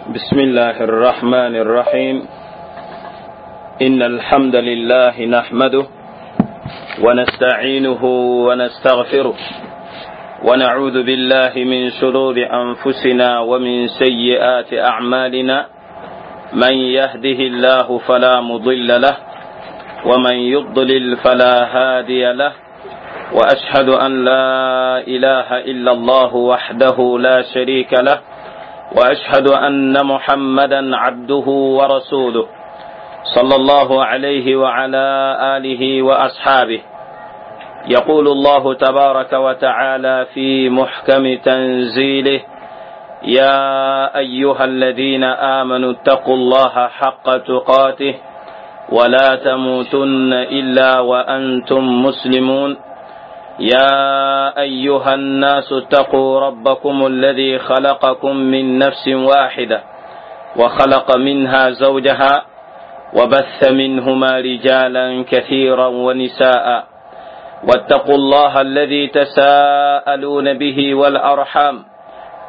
بسم الله الرحمن الرحيم. إن الحمد لله نحمده ونستعينه ونستغفره، ونعوذ بالله من شرور أنفسنا ومن سيئات أعمالنا. من يهده الله فلا مضل له ومن يضلل فلا هادي له، وأشهد أن لا إله إلا الله وحده لا شريك له، وأشهد أن محمدا عبده ورسوله صلى الله عليه وعلى آله وأصحابه. يقول الله تبارك وتعالى في محكم تنزيله: يا أيها الذين آمنوا اتقوا الله حق تقاته ولا تموتن إلا وأنتم مسلمون. يا أيها الناس اتقوا ربكم الذي خلقكم من نفس واحدة وخلق منها زوجها وبث منهما رجالا كثيرا ونساء، واتقوا الله الذي تساءلون به والأرحام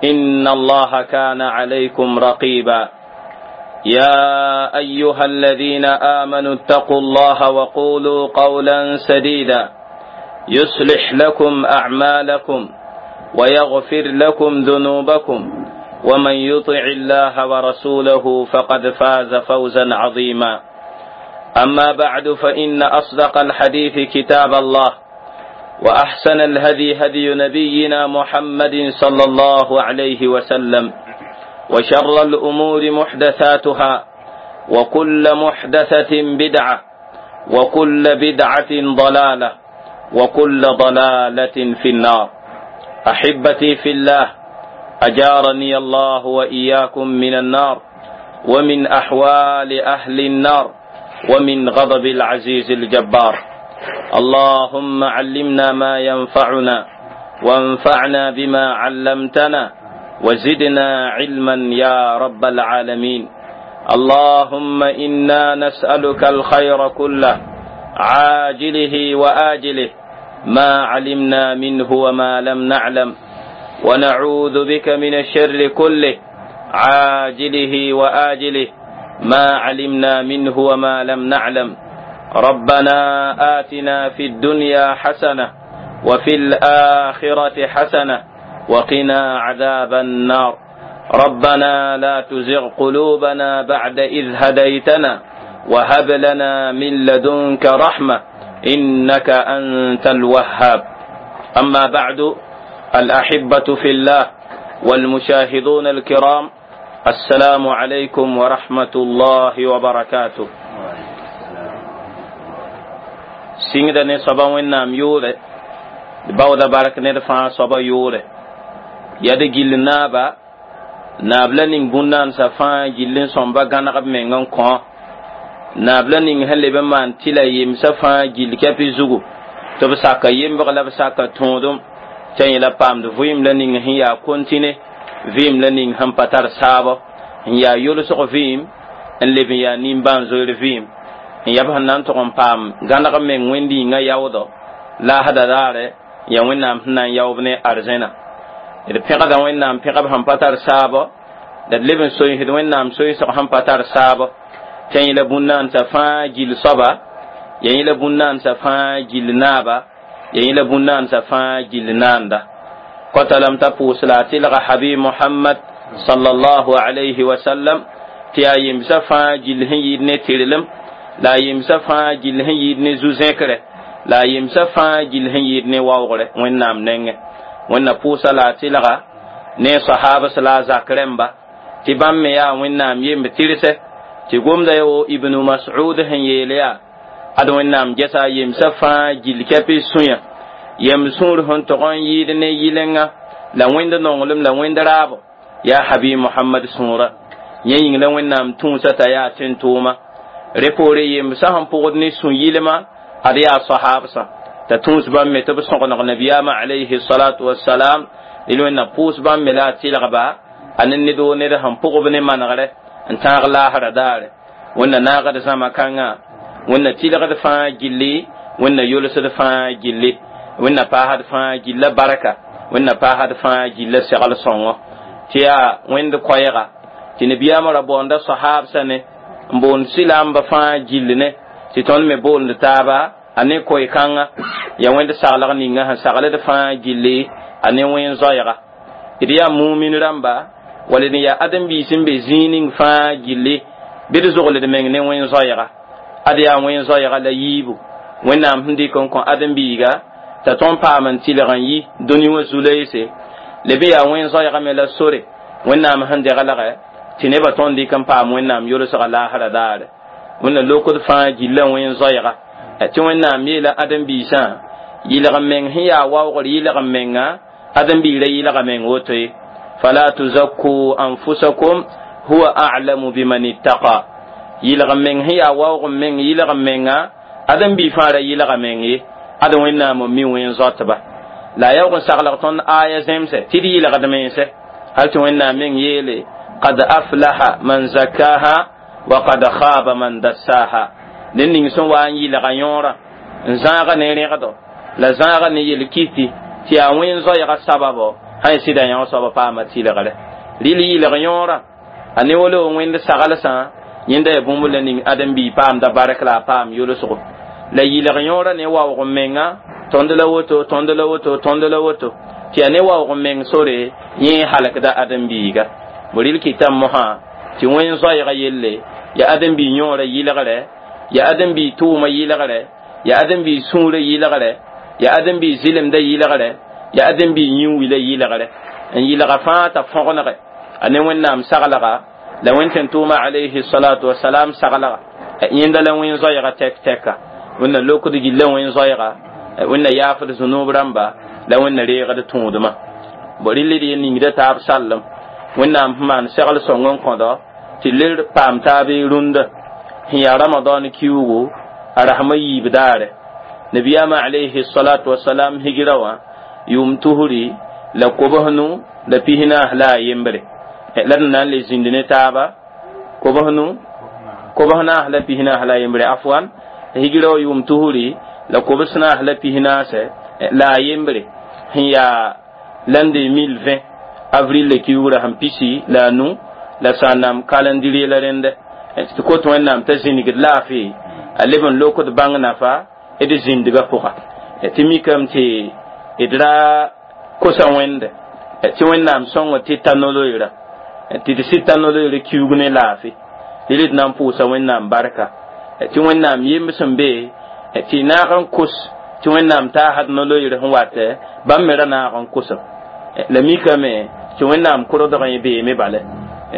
إن الله كان عليكم رقيبا. يا أيها الذين آمنوا اتقوا الله وقولوا قولا سديدا يصلح لكم أعمالكم ويغفر لكم ذنوبكم، ومن يطع الله ورسوله فقد فاز فوزا عظيما. أما بعد، فإن أصدق الحديث كتاب الله، وأحسن الهدي هدي نبينا محمد صلى الله عليه وسلم، وشر الأمور محدثاتها، وكل محدثة بدعة، وكل بدعة ضلالة، وكل ضلالة في النار. أحبتي في الله، أجارني الله وإياكم من النار، ومن أحوال أهل النار، ومن غضب العزيز الجبار. اللهم علمنا ما ينفعنا، وانفعنا بما علمتنا، وزدنا علما يا رب العالمين. اللهم إنا نسألك الخير كله، عاجله وآجله، ما علمنا منه وما لم نعلم، ونعوذ بك من الشر كله، عاجله وآجله، ما علمنا منه وما لم نعلم. ربنا آتنا في الدنيا حسنة وفي الآخرة حسنة وقنا عذاب النار. ربنا لا تزغ قلوبنا بعد إذ هديتنا وهب لنا من لدنك رحمة إنك أنت الوهاب. أما بعد، الأحبة في الله والمشاهدون الكرام، السلام عليكم ورحمة الله وبركاته. Sĩngda ne soaba Wẽnnaam yʋʋre, d baooda bark ned fãa soaba yʋʋre. Yaa d gill naaba, naab la ning bũn-naansã fãa gill n sõmba gãneg b meng n kõ. Naab la ning sẽn leb n maan tɩla yemsã fãa gill kɛpɩ zugu, tɩ b saka yembg la b saka tõodem, t'a yẽla paamd vɩɩm la ning sẽn yaa kontine, vɩɩm la ning sẽn pa tar saabɔ, n yaa yolsg vɩɩm, n leb n yaa nimbãan-zoeer vɩɩm, n yaa b sẽn na n tʋg n paam gãneg meng wẽnd-yĩngã yaoodɔ laasda raare, yaa Wẽnnaam sẽn na n yaoob ne arzẽna. D pẽgda Wẽnnaam pẽgb sẽn pa tar saabɔ, la d leb n soeesd Wẽnnaam soeesg sẽn pa tar saabɔ, t'a yẽla bũn-naansã fãa gill soaba, ya yẽla bũn-naansã fãa gill naaba, ya yẽla bũn-naansã fãa gill naanda. Kota lame t'a pʋʋs la a tɩlga Habib Mohamad sallallahu alayhi wa sallam, tɩ yaa yemsã fãa gill sẽn yɩɩd ne tɩrlem, la a yemsã fãa gill sẽn yɩɩd ne zu-zẽkre, la a yemsã fãa gill sẽn yɩɩd ne waoogre Wẽnnaam nengẽ. Wẽnna pʋʋsa la a tɩlga ne sahabs la a zak rẽmba, tɩ bãmb me yaa Wẽnnaam yemb tɩrse, tɩ gomda ya wo Ibnu Mas'ud sẽn yeel yaa: ad Wẽnnaam gɛsa a yemsã fãa gill kɛpɩ sũyã, yem sũur sẽn tog n yɩɩd ne yɩlenga la wẽnd nonglem la wẽnd raabo, yaa Habib Mohamad sũurã. Yẽ yĩng la Wẽnnaam tũusã t'a yaa tẽn-tʋʋma. Rẽ poore yemsã sẽn pʋgd ne sũ-yɩlma, ad yaa sahabsã, t'a tũus bãmb me tɩ b sõgeneg nabiyaamã alayhi salatu wasalam. Rel Wẽnna pʋʋs bãmb me la a tɩlgba a ne ned wo ned sẽn pʋgb ne manegre n tãag laasra daare. Wẽnna naagd zãma kãngã, Wẽnna tɩlgd fãa gilli, Wẽnna yolsd fãa gilli, Wẽnna paasd fãa gilla barka, Wẽnna paasd fãa gilla segl sõngo, tɩ yaa Wẽnd koɛɛga. Tɩ nabiyaamã ra boonda sahaabsã ne n boond sɩlaamba fãa gill ne tɩ tõnd me boond taaba a ne koe-kãnga yaa wẽnd saglg ninga sẽn sagld fãa gilli a ne wẽn-zoɛɛga d yaa mumin rãmba wala d yaa ãdem-biis n be zĩig ning fãa gilli bɩ d zogld meng ne wẽn-zoɛɛga ad yaa wẽn-zoɛɛga la yiibu wẽnnaam sẽn dɩk n kõ ãdem-biiga t'a tõnd paam n tɩlg n yi dũni wã zu-loeese leb n yaa wẽn-zoɛɛga me la sore wẽnnaam sẽn deglgɛ tɩ nebã tõnd dɩk n paam wẽnnaam yolsga laasra daare wẽnna lokd fãa gilla wẽn-zoɛɛga tɩ wẽnnaam yeela ãdem-biisã yɩlg n meng sẽn yaa waoogr yɩlg n menga ãdem-biirã yɩlga meng woto ye fala tuzakku anfusakum huwa a'lamu biman ittaqa yɩlg n meng sẽn yaa waoog n meng yɩlg n menga ãdem-bii fãa ra yɩlga meng ye ad wẽnnaam n mi wẽn-zoatba la a yaoog n saglg tõnd aya zẽmsɛ tɩ d yɩlgd mense hal tɩ wẽnnaam meng yeele qad aflaha man zakkaha wa qad khaba man dassaha ned ning sẽn wa n yɩlga yõorã n zãaga ne rẽgdo la zãaga ne yel-kiti tɩ yaa wẽn-zoɛɛga sababo sã y sɩda yão soaba paama tɩlgre rɩl yɩlg yõorã a ne wolo wẽnd saglsã yẽnda yaa bũmb la ning ãdem-bii paamda bark la a paam yolsgo la yɩlg yõorã ne waoog n menga tõnd la woto tõnd la woto tõnd la woto tɩ yaa ne waoog n meng sore yẽ halkda ãdem-biiga rɩl kɩtame mosã tɩ wẽn-zoɛɛga yelle yaa ãdem-bii yõorã yɩlgre yaa ãdem-bii tʋʋma yɩlgre yaa ãdem-bii sũurã yɩlgre yaa ãdem-bii zɩlemda yɩlgre yaa ãdem-bii yĩn-wila yɩlgre n yɩlga fãa t'a fõgenege a ne wẽnnaam saglga la wẽn tʋʋma alayhi salatu wasalam saglga yẽnda la wẽn-zoɛɛga tɛk-tɛka wẽnna lokd gilla wẽn-zoɛɛga wẽnna yaafd zũnub rãmba la wẽnna reegd tũudmã bo rɩl d ye ningda taab sallem wẽnnaam sẽn maan segl sõng n kõdo tɩ ler paam taab rũndã sẽn yaa ramadan kiuugu a rasmã yiib daare nabiyaamã alayhi salatu wasalam higra wã yʋʋm tusri la kobsnu la pisnaas la a yembre la d na n le zĩnd ne taaba kobsnu kobsnaas la pisnaas la a yembre afwan higra wã yʋʋm tusri la kobsnaas la pisnaase la a yembre sẽn yaa l'an 2020 avril le kiuugrã sẽn pisi la a nu la sã n nam calendrier la rẽndɛ tɩ kot wẽnnaam t'a zĩnigd laafɩ a leb n lokd bãng nafa d zĩndgã pʋga tɩ mikame tɩ d ra kosa wẽnde tɩ wẽnnaam sõngo tɩ ta no-loeera tɩ d sɩd ta no-loeera kiuug ne laafɩ rɩl d na n pʋʋsa wẽnnaam barka tɩ wẽnnaam yemb sẽn be tɩ naag n kos tɩ wẽnnaam taasd no-loeer sẽn wat bãmb me ra naag n kosem la mikame tɩ wẽnnaam kʋrgdg yẽ beeme bale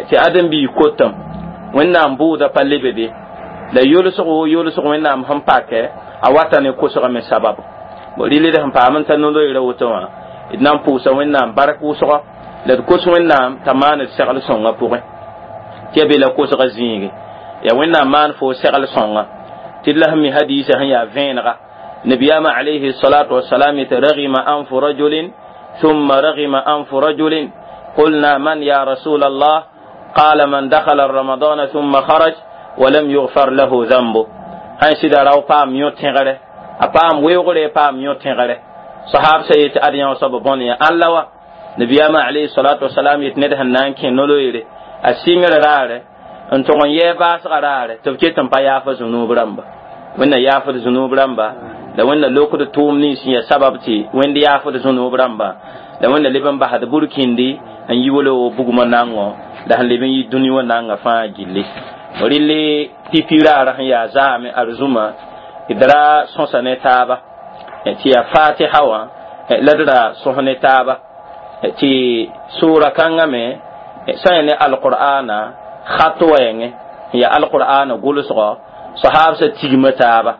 tɩ ãdem-biig kotem wẽnnaam bʋʋda pa lebe be la yolsgo yolsg wẽnnaam sẽn pakɛ a wata ne kosgame me sabab rɩl d sẽn paam n ta no-loeera woto wã d na n pʋʋsa wẽnnaam bark wʋsgɔ la d kos wẽnnaam t'a maan d segl sõngã pʋgẽ tɩ yaa be la kosgã zĩige yaa wẽnnaam maan fo segl sõnga tɩ d la sẽn mi hadiisã sẽn yaa vẽenega nabiyaamã alayhi salatu wasalam yetɩ ragima anfu rajulin ثم رغم أنف رجل قلنا من يا رسول الله قال من دخل رمضان ثم خرج ولم يغفر له ذنبه sãn sɩda rao paam yõ tẽgre a paam weoogre paam yõ tẽgre sahab sa yetɩ ad yã soab bõn ya ãn la wa nabiyaamã alayhi salatu wasalam yetɩ ned sẽn na n kẽ no-loeere a sɩngr raare n tog n yɛɛ baasgã raare tɩ b ket n pa yaafa zũnuub rãmba wẽnna yaafd zũnuub rãmba la wẽnna lokd tʋʋm nins n yaa sabab tɩ wẽnd yaafd zũnuub rãmba la wẽnna leb n basd burkĩndi n yi wolo bugmã nango la sẽn leb n yi dũni wã nanga fãa gilli rɩl pipi raara sẽn yaa zaame arzũma d ra sõsa ne taaba tɩ yaa fatiha wã la d ra sõs ne taaba tɩ sʋʋra kãngã me sã n ne alqur'ana khat wɛɛngẽ n yaa alqur'ana gʋlsgɔ sahabsã tigma taaba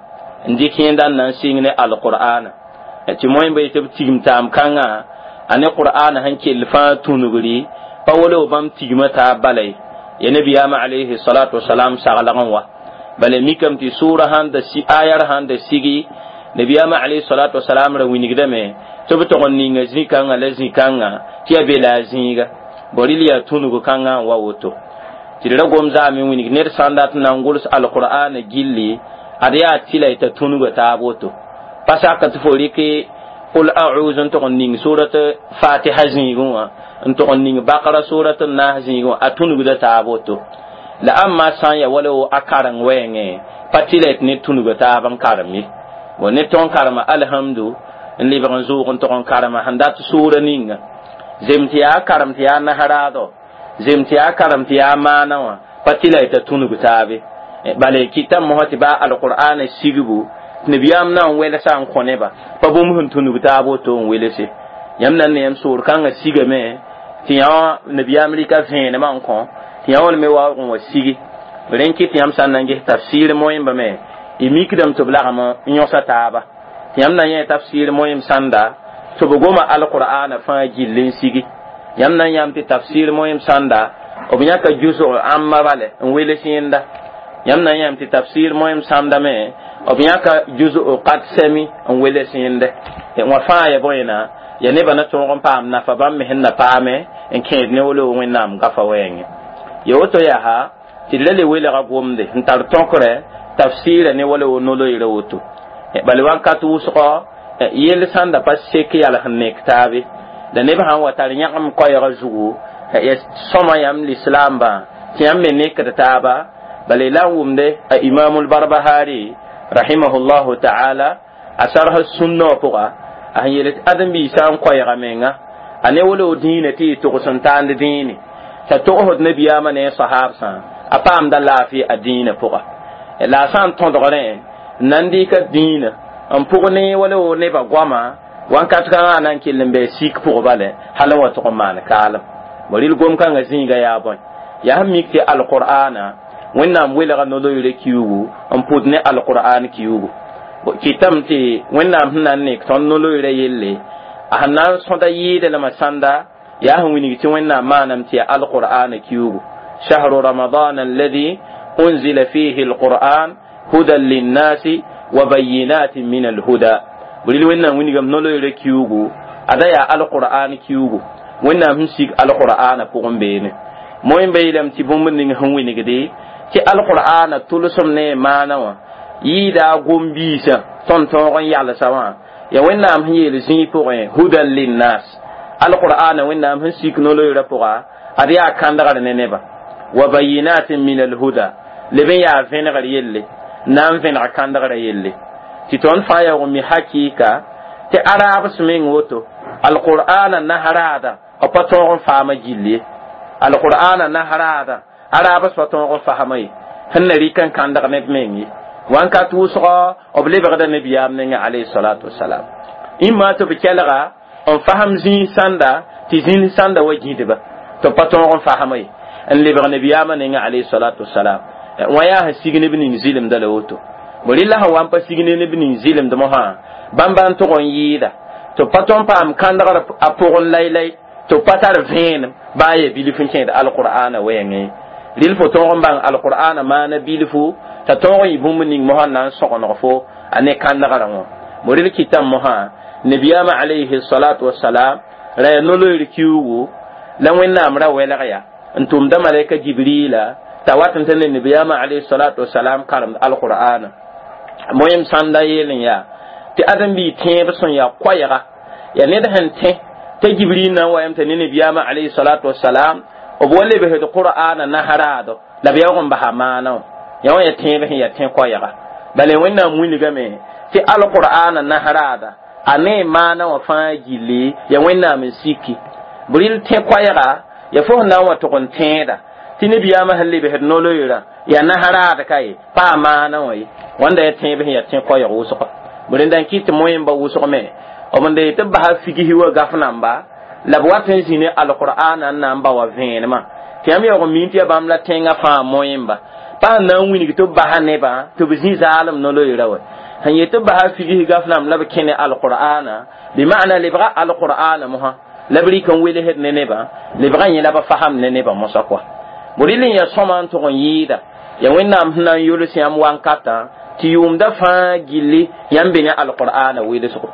n dɩk yẽnda n na n sɩng ne alqur'ana tɩ moẽmba yetɩ b tigim taam kãngã a ne qur'ana sẽn kell fãa tũnugri pa wolo bãmb tigma taab bala ye ya nabiyaamã alayhi salatu wasalam saglg n wa bala mikame tɩ sʋʋra sãn da ayar sãn da sigi nabiyaamã alayhi salatu wasalam ra wilgdame tɩ b tog n ninga zĩ-kãngã la zĩ-kãngã tɩ yaa be la a zĩiga bõ rɩl yaa tũnug kãngã n wa woto tɩ d ra gom zaame wilg ned sã n dat n na n gʋls alqur'ana gilli ad yaa tɩla y t'a tũnuga taab woto pa sak tɩ fo rɩk Qul a'udhu n tʋg n ning surat Fatiha zĩigẽ wã, n tʋg n ning Bakara surat n naas zĩigẽ wã, a tũnugda taab woto. La ãmma sã n ya wala wo a kareng wɛɛngẽ, pa tɩ la tɩ ned tũnuga taab n karem ye. Bon, ned tõn karema alhamdu n lebg n zʋʋg n tʋg n karema sẽn dat sʋʋra ninga, zem tɩ yaa karem tɩ yaa nasraadɔ, zem tɩ yaa karem tɩ yaa maana wã, pa tɩ la t'a tũnug taabe. Bala kɩta mosã tɩ baa alqur'ana sigbu tɩ nabiyaam na n welsa n kõ neba, pa bũmb sẽn tũnug taab woto n welse. Yãmb na n ne yãmb soor kãngã sigame tɩ yã nabiyaam rɩka vẽenemã n kõ tɩ yã wã me waoog n wa sigi. Rẽn kɩ tɩ yãmb sã n na n ges tafsir moẽmba me, y mikdame tɩ b lagem n yõsa taaba. Tɩ yãmb na yẽ tafsir moẽm sãnda tɩ b goma alqur'ana fãa gill n sigi. Yãmb na n yãmb tɩ tafsir moẽm sãnda b yãka jusg ãmba bale n weles yẽnda. Yãmb na n yãmb tɩ tafsir moẽm sãnda me b yãka jusg qad sɛmi n weles yẽnde. Wã fãa ya bõena ya nebã na tõog n paam nafa bãmb me sẽn na paame n kẽed ne wolo Wẽnnaam gafa wɛɛngẽ. Ya woto yaa tɩ d ra le welga gomde n tar tõkrɛ tafsɩɩra ne wala wo no-loeera woto. Bala wãnkat wʋsgɔ yell sãnda pa sek yals n nek taabe, la neb sãn wa tar yãgem koɛɛgã zugu ya sõma yãmb lislaambã tɩ yãmb me nekd taaba. Bala la n wʋmde a Imamul Barbahari rahimahullahu ta'ala a sarsa sũnna wã pʋga, a sẽn yeel tɩ ãdem-biisã n koɛɛga menga a ne wala wo dĩinã tɩ y togs n taand dĩine t'a togsd nabiyaamã ne a sahaabsã, a paamda laafɩ a dĩinã pʋga. La a sã n tõdg rẽ n na n dɩka dĩinã n pʋg ne wala wo nebã goama, wãnkat kãngã na n kell n bɩ sik pʋg bale hal n wa tʋg n maan kaalem. Rɩl gom-kãngã zĩiga yaa bõe? Yaa sẽn mik tɩ alqur'ana Wẽnnaam welga no-loeera kiuugu n pʋd ne alqur'an kiuugu. Kɩtame tɩ Wẽnnaam sẽn na n nek tõnd no-loeera yelle, a sẽn na n sõda yɩɩda lama sãnda yaa sẽn wilg tɩ Wẽnnaam maaname tɩ yaa alqur'ana kiuugu. Shahru ramadan alladhi unzila fihi alqur'an hudan linnasi wa bayinatin min alhuda. Rɩl Wẽnnaam wilgame no-loeera kiuugu, ada yaa alqur'an kiuugu. Wẽnnaam sẽn sig alqur'ana pʋgẽ beene. Moẽmba yeelame tɩ bũmb ning sẽn wilgde tɩ alqur'ana tʋlsem ne maana wã yɩɩda a gom-biisã tõnd tõog n yalsa wã, ya Wẽnnaam sẽn yeel zĩig pʋgẽ hudan linnas. Alqur'ana Wẽnnaam sẽn sik no-loeera pʋga, ad yaa kãndgr ne nebã, wa bayinatin min alhuda, leb n yaa vẽnegr yelle, na n vẽneg kãndgrã yelle. Tɩ tõnd fãa yaoog n mi hakɩɩka tɩ araabs meng woto alqur'ana nasraada b pa tõog n faama gill ye. Alqur'ana nasraada araabs pa tõog n fasma ye, sẽn na rɩk n kãndg neb meng ye. Wãnkat wʋsgɔ b lebgda nabiyaam ninga alayhi salatu wasalam ĩmma tɩ b kelga n fasem zĩig sãnda tɩ zĩnd sãnda wa gĩdba tɩ b pa tõog n fasma ye, n lebg nabiyaamã ninga alayhi salatu wasalam. Wã yaa sẽn sig neb ning zɩlemda la woto. Rɩla sẽn wa n pa sig ne neb ning zɩlemd mosã, bãmba n tʋg n yɩɩda tɩ b pa tõn paam kãndgr a pʋgẽ laylay, tɩ b pa tar vẽenem baa ya bilf n kẽed alqur'ana wɛɛngẽ. Rɩl fo tõog n bãng alqur'ana maana bilfu t'a tõog n yɩ bũmb ning mosã na n sõgeneg fo a ne kãndgrã wã. Rɩl kɩtame mosã nabiyaamã alayhi salatu wasalam ra yaa no-loeer kiuugu la Wẽnnaam ra welg ya n tʋmda malaika Jibrila t'a wat n tɩ ne nabiyaamã alayhi salatu wasalam karemd alqur'ana. Moẽm sãnda yeel n yaa tɩ ãdem-biig tẽeb sẽn yaa koɛɛga yaa ned sẽn tẽ t'a Jibril na n wa yam t'a ne nabiyaamã alayhi salatu wasalam b wa lebsd qur'ana nasraado la b yaoog n basa maana wã. Yã wã yaa tẽeb sẽn yaa tẽ koɛɛga. Bala Wẽnnaam wilgame tɩ alqur'ana nasraada a ne maana wã fãa gilli ya Wẽnnaam n siki. Rɩl tẽ koɛɛga ya fo sẽn na n wa tʋg n tẽeda tɩ nabiyaamã sẽn lebsd no-loeerã yaa nasraad ka ye, pa a maana wã ye. Wãnda yaa tẽeb sẽn yaa tẽ koɛɛg wʋsgɔ. Rẽnda n kɩt tɩ moẽmba wʋsg me b n dee tɩ b basa figsɩ wa gaf namba la b wat n zĩ ne alqur'ana n na n ba wa vẽenemã. Tɩ yãmb yaoog n mii tɩ yaa bãmb la tẽngã fãa moẽmba pa sẽn na n wilg tɩ b basa nebã tɩ b zĩ zaalem no-loeera wa sẽn yet tɩ b basa figs gaf namb la b kẽ ne alqur'ana bɩ maana lebga alqur'ana mosã la b rɩk n welsd ne nebã, lebga yẽ la b fasam ne nebã mosã kɔa. Rɩl n yaa sõma n tʋg n yɩɩda ya Wẽnnaam sẽn na n yols yãmb wankatã tɩ yʋʋmda fãa gilli yãmb be ne alqur'ana welsgo.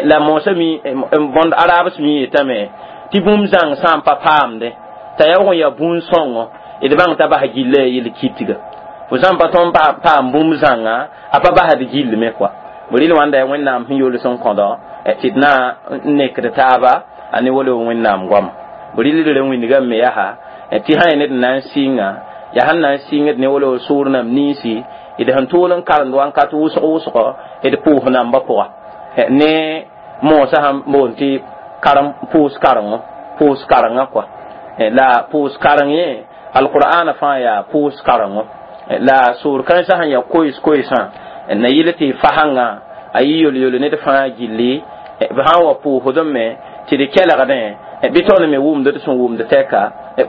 La moosã mi bõnd araabs mi yetame tɩ bũmb zãng sã n pa paamde t'a yaoog n yaa bũn-sõngo d bãng t'a bas gilla yel kitga. Fo sã n pa tõn paam bũmb zãnga a pa basd gill me kɔa. Rɩl wãnda yaa Wẽnnaam sẽn yols n kõdo tɩ d na n nekd taaba a ne wala Wẽnnaam goama. Rɩl rẽ wĩndgame me yaa tɩ sã ya ned n na n sɩnga, yaa sẽn na n sɩngd ne wala soor nam ninsi d sẽn tʋʋl n karemd wãnkat wʋsg wʋsgo d pʋʋs nambã pʋga ne moosã sẽn boond tɩ karem pʋʋs karengo, pʋʋs karengã kɔa. La pʋʋs kareng yẽ alqur'ana fãa yaa pʋʋs karengo. La soor kãensã sẽn yaa koees koeesã na yɩl tɩ fasãngã a yɩ yol-yol ned fãa gilli, b sã n wa pʋʋsdẽ me tɩ d kelgdẽ bɩ tõnd me wʋmd d sẽn wʋmd tɛka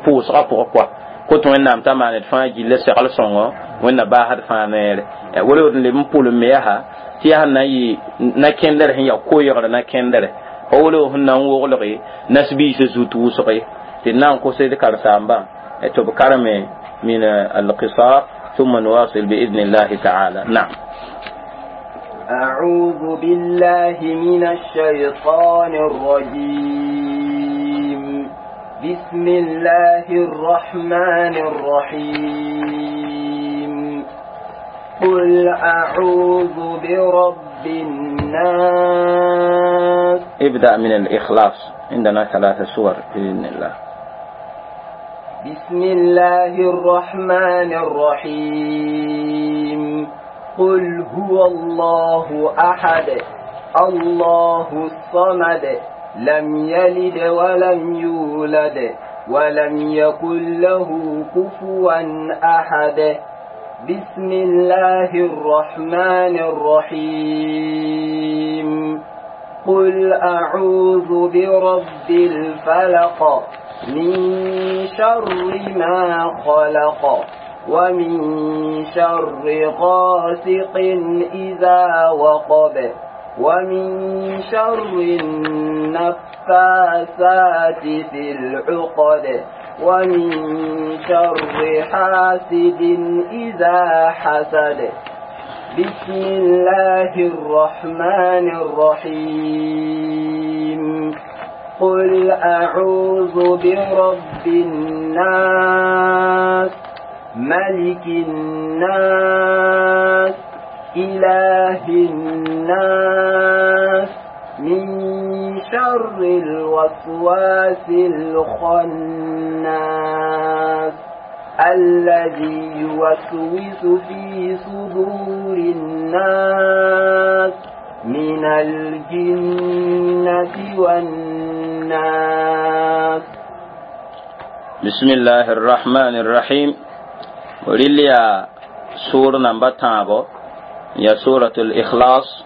pʋʋsgã pʋgẽ kɔa. Kot Wẽnnaam t'a maan d fãa gilla segl sõngo, Wẽnna baasd fãa neere. Wala d leb n pʋlem me yaa tɩ yaa sẽn na n yɩ na-kẽndre sẽn yaa koeegr na-kẽndre pa wala sẽn na n woglge nasbiisã zut wʋsge tɩ d na n kos d karen-saambã tɩ b kareme min alqisar ثم نواصل بإذن الله تعالى. نعم. أعوذ بالله من الشيطان الرجيم. بسم الله الرحمن الرحيم. قل أعوذ برب الناس. ابدأ من الإخلاص، عندنا 3 سور بإذن الله. بسم الله الرحمن الرحيم. قل هو الله أحد، الله الصمد، لم يلد ولم يولد ولم يكن له كفوا أحد. بسم الله الرحمن الرحيم. قل أعوذ برب الفلق، من شر ما خلق، ومن شر غاسق إذا وقب، ومن شر النفاثات في العقد، ومن شر حاسد إذا حسد. بسم الله الرحمن الرحيم. قل أعوذ برب الناس، ملك الناس، إله الناس، من شر الوسواس الخناس، الذي يوسوس في صدور الناس، من الجنة والناس. بسم الله الرحمن الرحيم. ولليا سورة نمبر تابو يا سورة الإخلاص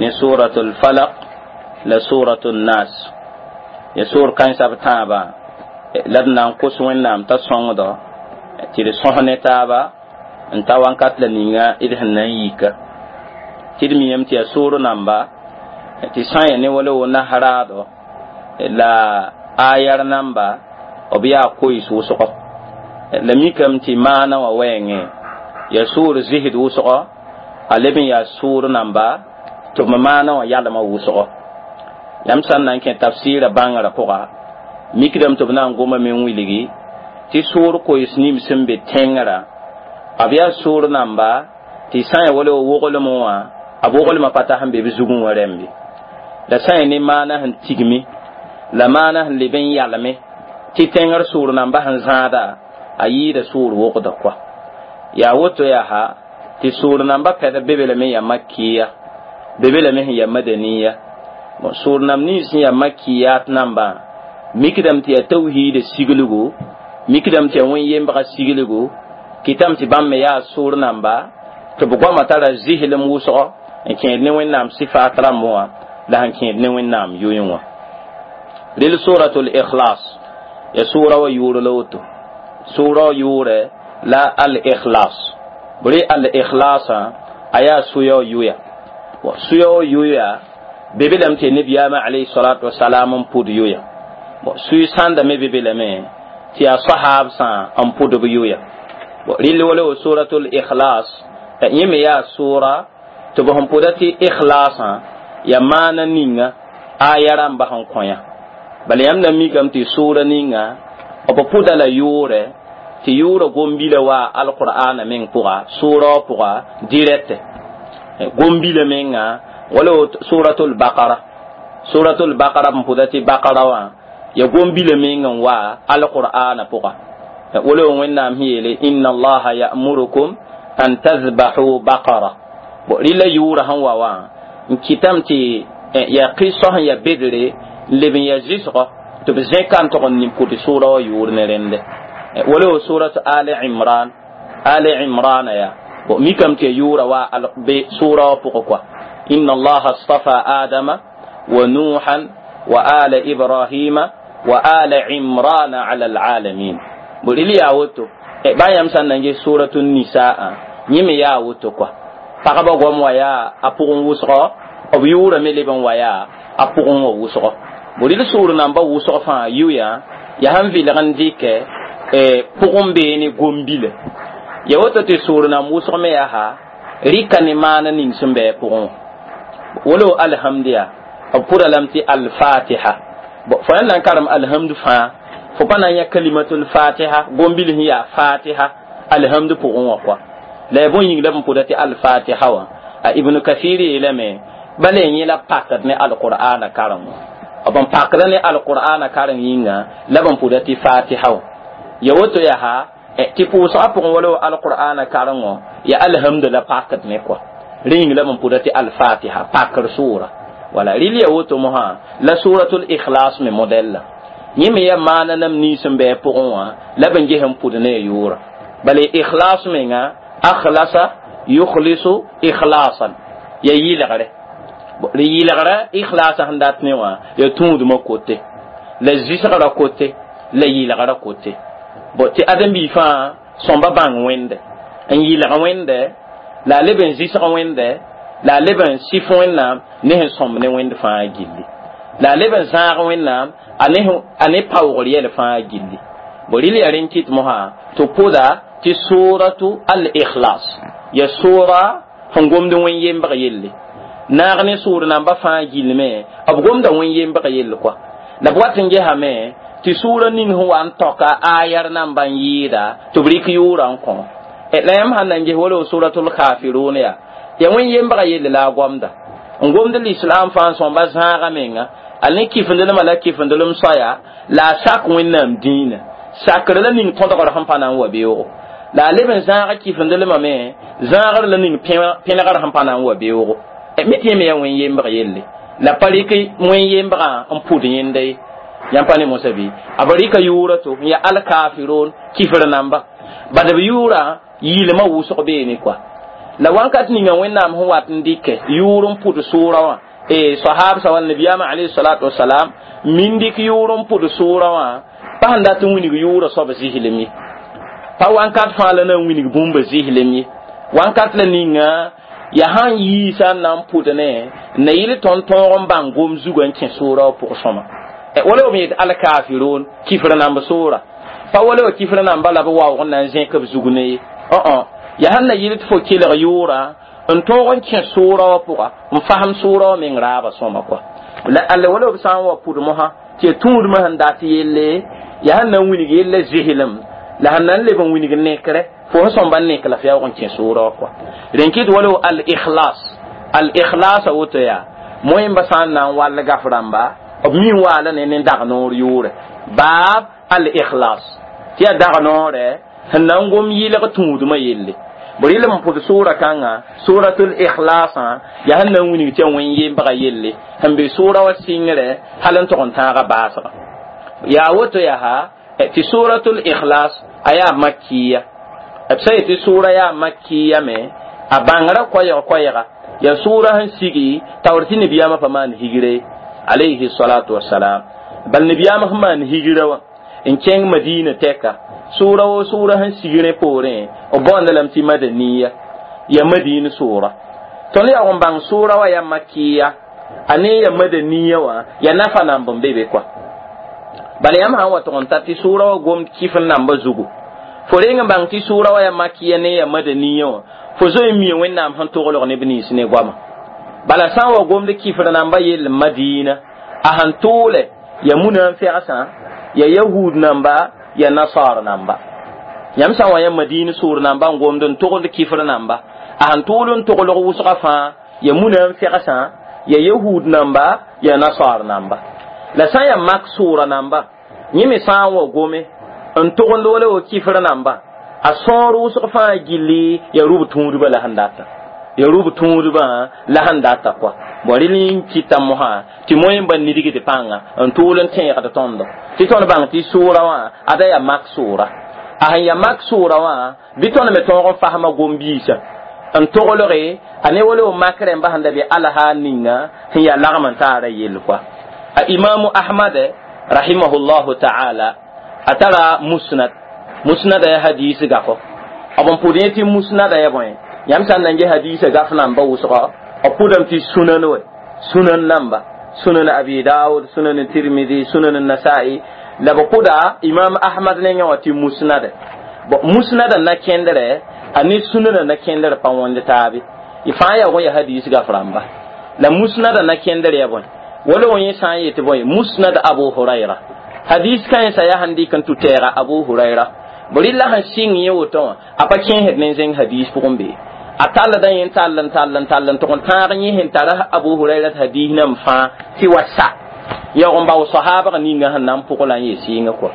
ni سورة الفلق la سورة الناس. Ya سور كان سب تابا لدنا نقص وين تصنع tɩ d sõs ne taaba n ta wãnkat la ninga d sẽn na n yika tɩ d miame tɩ yaa soor namba tɩ sã n ya ne wala wo nasraado la ayar namba b yaa koees wʋsgo. La mikame tɩ maana wã wɛɛngẽ yaa soor zisd wʋsgo, a leb n yaa soor namba tɩ b maana wã yalmã wʋsgo. Yãmb sã n na n kẽ tafsɩɩra bãngrã pʋga mikdame tɩ b na n gomame n wilgi tɩ soor koees nim sẽn be tẽngrã b yaa soor namba tɩ sã n ya wala woglem wã a woglmã pa ta sẽn be b zugẽ wã rẽmbe. La sã n ya ne maana sẽn tigme la maana sẽn leb n yalme tɩ tẽngr soor namba sẽn zãada a yɩɩda soor wogda koa. Yaa woto yaa tɩ soor namba pɛd be lame yaa makiya, be lame sẽn yaa madaniya. Soor nam nins sẽn yaa makiyat nambã mikdame tɩ yaa tawhiida sigligo, mikdame tɩ yaa wẽn-yembga sigligo, kɩtame tɩ bãmb me yaa soor namba tɩ b goamã tara zɩslem wʋsgo n kẽed ne Wẽnnaam sɩfaat rãmb wã la sẽn kẽed ne Wẽnnaam yoe wã. Rel suratul ikhlas ya sura wa yʋʋr la woto. Sura wa yʋʋrɛ la al-ikhlas. Bɩ al-ikhlasã a yaa soya wa yoya. Soya wa yoya be be lame tɩ nebiyaamã alayhi salatu wasalam n pʋd yoya. Soy sãnda me be be lame tɩ yaa sahaabsã n pʋd b yoya. Rɩl wala wa suratul ikhlas yẽ me yaa sʋʋra tɩ b sẽn pʋda tɩ ikhlasã yaa maana ninga aya rãmba sẽn kõ yã. Bala yãmb na mikame tɩ sʋʋra ninga b pʋda la yʋʋrɛ tɩ yʋʋrã gom-bila wa alqur'ana meng pʋga sʋʋra wã pʋga dirɛtɛ. Gombila menga wala suratul baqara, suratul baqara n pʋda tɩ baqara wã ya gombila meng n wa alqur'ana pʋga. Wala Wẽnnaam sẽn yeele inna allaha ya'murukum an tadhbahu baqara. Bo rɩla yʋʋra sẽn wa wã n kɩtame tɩ ya qɩsɔ sẽn ya bedre n leb n ya zɩsgɔ tɩ b zẽka n tog n pʋd sʋʋra wã yʋʋr ne rẽnde. Wala surat Ali Imran, Ali Imran ya bo mikame tɩ ya yʋʋra wa be sʋʋra wã pʋgẽ kɔa. Inna allaha astafa adama wa nuhan wa ala ibrahima wa ala imrana ala alalamin. Bo rɩl yaa woto bã yãmb sã n na n ges suratu nisaa yẽ me yaa woto kɔa. Pagba goam wa yaa a pʋgẽ wʋsgɔ, b yʋʋra me leb n wa yaa a pʋgẽ wã wʋsgɔ. Bo rɩl sʋʋr namba wʋsg fãa yʋ yaa sẽn vɩlg n dɩkɛ pʋgẽ bee ne gombila. Ya woto tɩ sʋʋr nam wʋsg me yaa rɩka ne maana ning sẽn bɩ a pʋgẽ wã. Wala alhamdu ya b pʋda lame tɩ alfatiha. Fo yãnd na n karem alhamdu fãa fo pa na n yã kalimatul fatiha gombil sẽn yaa fatiha alhamdu pʋgẽ wã kɔa. La ya bõe yĩng la b n pʋda tɩ alfatiha wã? A Ibnu Kathir yeelame bala yẽ la pakd ne alqur'ana karem wã. B n pakda ne alqur'ana karem yĩnga la b n pʋda tɩ fatiha wã. Ya woto yaa tɩ pʋʋsgã pʋgẽ wala alqur'ana karengõ ya alhamdu la pakd ne kɔa. Rẽ yĩng la b n pʋda tɩ alfatiha pakr sʋʋra. Wala rɩl ya woto mosã la suratul ikhlas me modɛl la yẽ me ya maana nam nins n bɩ a pʋgẽ wã la b n ges n pʋd ne a yʋʋra. Bala ikhlas menga akhlasa yukhlisu ikhlasan ya yɩlgre. Yɩlgrã ikhlasa sẽn dat ne wã ya tũudmã kote la zɩsgrã kote la yɩlgrã kote. Bo tɩ ãdem-biig fãa sõmba bãng wẽnde n yɩlg wẽnde la a leb n zɩsg wẽnde la a leb n sɩf Wẽnnaam ne sẽn sõmb ne wẽnd fãa gilli, la a leb n zãag Wẽnnaam a ne paoogr yɛl fãa gilli. Bo rɩl yaa rẽn kɩt mosã tɩ pʋda tɩ suratu al-ikhlas ya sʋʋra sẽn gomd wẽn-yembg yelle. Naag ne sʋʋr namba fãa gillme b gomda wẽn-yembg yell kɔa. La b wat n gesame tɩ sʋʋra ning sẽn wa n tɔka ayar namba n yɩɩda tɩ b rɩk yʋʋrã n kõ. La yãmb sãn na n ges wala suratul kafirun yaa ya wẽn-yembga yelle la a gomda n gomd l'islam fãa sõmba zãaga menga a ne kifendelmã la kifendelem soaya la a sak Wẽnnaam dĩinã sakr la ning tõdgr sẽn pa na n wa beoogo. La a leb n zãaga kifendelmã me zãagr la ning pẽlgr sẽn pa na n wa beoogo. Me tɩ yẽ me yaa wẽn-yembg yelle la pa rɩk wẽn-yembgã n pʋd yẽnda ye. Yãmb pa ne mosã bɩ a b rɩka yʋʋra to n yaa alkafirun kifr namba bad b yʋʋra yɩɩlmã wʋsg beene kɔa. La wãnkat ninga Wẽnnaam sẽn wat n dɩkɛ yʋʋr n pʋd sʋʋra wã sahabsã wall nabiyaamã alayhi salatu wasalam min dɩk yʋʋr n pʋd sʋʋra wã pa sẽn dat n wilg yʋʋra soab zɩslem ye. Pa wãnkat fãa la na n wilg bũmba zɩslem ye. Wãnkat la ninga ya sãn yiisa n na n pʋd ne na yɩl tõnd tõog n bãng gom zugã n kẽ sʋʋra wã pʋg sõma. Wala b yet alkafirun kifr namb sʋʋra pa wala wa kifr namba la b waoog n na n zẽk b zug ne ye. Ya sãn na yɩl tɩ fo kelg yʋʋra n tõog n kẽ sʋʋra wã pʋga n fasem sʋʋra wã meng raaba sõma kɔa. La alla wala b sã n wa pʋd mosã tɩ ya tũudmã sẽn dat yelle ya sẽn na n wilg yella zɩslem la sẽn na n leb n wilg nekre fo sẽn sõmba n nek la f yaoog n kẽ sʋʋra wã kɔa. Rẽn kɩt wala al-ikhlas, al-ikhlas a woto yaa moẽmba sã n na n wall gaf rãmba b mi n waala ne ne dag noor yʋʋre baab al-ikhlas tɩ yaa dag noorɛ sẽn na n gom yɩlg tũudmã yelle. Bo rɩl n pʋd sʋʋra kãngã suratul ikhlasã yaa sẽn na n wilg tɩ ya wẽn-yembga yelle sẽn be sʋʋra wã sɩngrɛ hal n tog n tãaga baasga. Yaa woto yaa tɩ suratul ikhlas a yaa makiya. B sã yetɩ sʋʋra yaa makiya me a bãngrã koɛɛg-koɛɛga ya sʋʋra sẽn sigi taoor tɩ nabiyaamã pa maan higre alayhi salatu wasalam. Bal nabiyaamã sẽn maan higrã wã n kẽng Madina tɛka sʋʋra wo sʋʋra sẽn sig rẽ poorẽ b baoonda lame tɩ madaniya ya Madina sʋʋra. Tõnd yaoog n bãng sʋʋra wã yaa makiya a ne ya madaniya wã ya nafa namb n be be kɔa. Bala yãmb sã n wa tʋg n ta tɩ sʋʋra wã gomd kɩf n namba zugu fo reng n bãng tɩ sʋʋra wã yaa makiya ne ya madaniya wã fo zoe n mia Wẽnnaam sẽn toglg neb nins ne goama. Bala sã n wa gomd kifr namba yell Madina a sẽn tʋʋle ya munafɩgsã ya yahud namba ya nasar namba. Yãmb sã n wa yã Madina sʋʋr namba n gomd n togld kifr namba A sẽn tʋʋl n toglg wʋsgã fãa ya munam fegsã, ya yahud namba, ya nasar namba. La sã n yaa mak sʋʋra namba, yẽ me sã n wa gome n togend wala wa kifr namba, a sõor wʋsg fãa gilli ya rʋb tũudbã la sẽn data, ya rʋb tũudbã la sẽn data kɔa. Bõ rel n kɩta mosã tɩ moẽ ba nidgd pãnga n tʋʋl n tẽegd tõndo tɩ tõnd bãng tɩ sʋʋra wã ada yaa mak sʋʋra. A sẽn yaa mak sʋʋra wã bɩ tõnd me tõog n fasma gom-biisã n toglge a ne wala mak rẽmba sẽn da be alha ninga sẽn yaa lagm n taara yell kɔa. A imamu Ahmad rahimahullahu ta'ala a tara musnad, musnada ya hadis gafo b n pʋd yẽ tɩ musnada ya bõe. Yãmb sã n na n ges hadisa gaf namba wʋsga, b pʋdame tɩ sunan we, sunan namba, sunan Abi Daud, sunan Tirmidi, sunan Nasai, la b pʋda imam Ahmad nengẽ wã tɩ musnada. Musnada na kẽndrɛ a ne sunana na kẽndr pa wõnd taabe, y fãa yaa ya hadis gaf rãmba. La musnada na kẽndr ya bõe, wala wã yẽ sã n yetɩ bõe, musnad Abu Hurayra, hadis kãensã yaa sẽn dɩk n tʋ tɛɛga Abu Hurayra. Bõe rɩla sẽn sɩng yẽ woto wã a pa kẽesd ne zẽng hadis pʋgẽ bee a tallda yẽ tall n tall n tall n tʋg n tãag yẽ sẽn tara Abu Hurayra hadis nam fãa tɩ wa sa yaoog n bao sahaabg ninga sẽn na n pʋg la n yee sɩɩngã kɔa.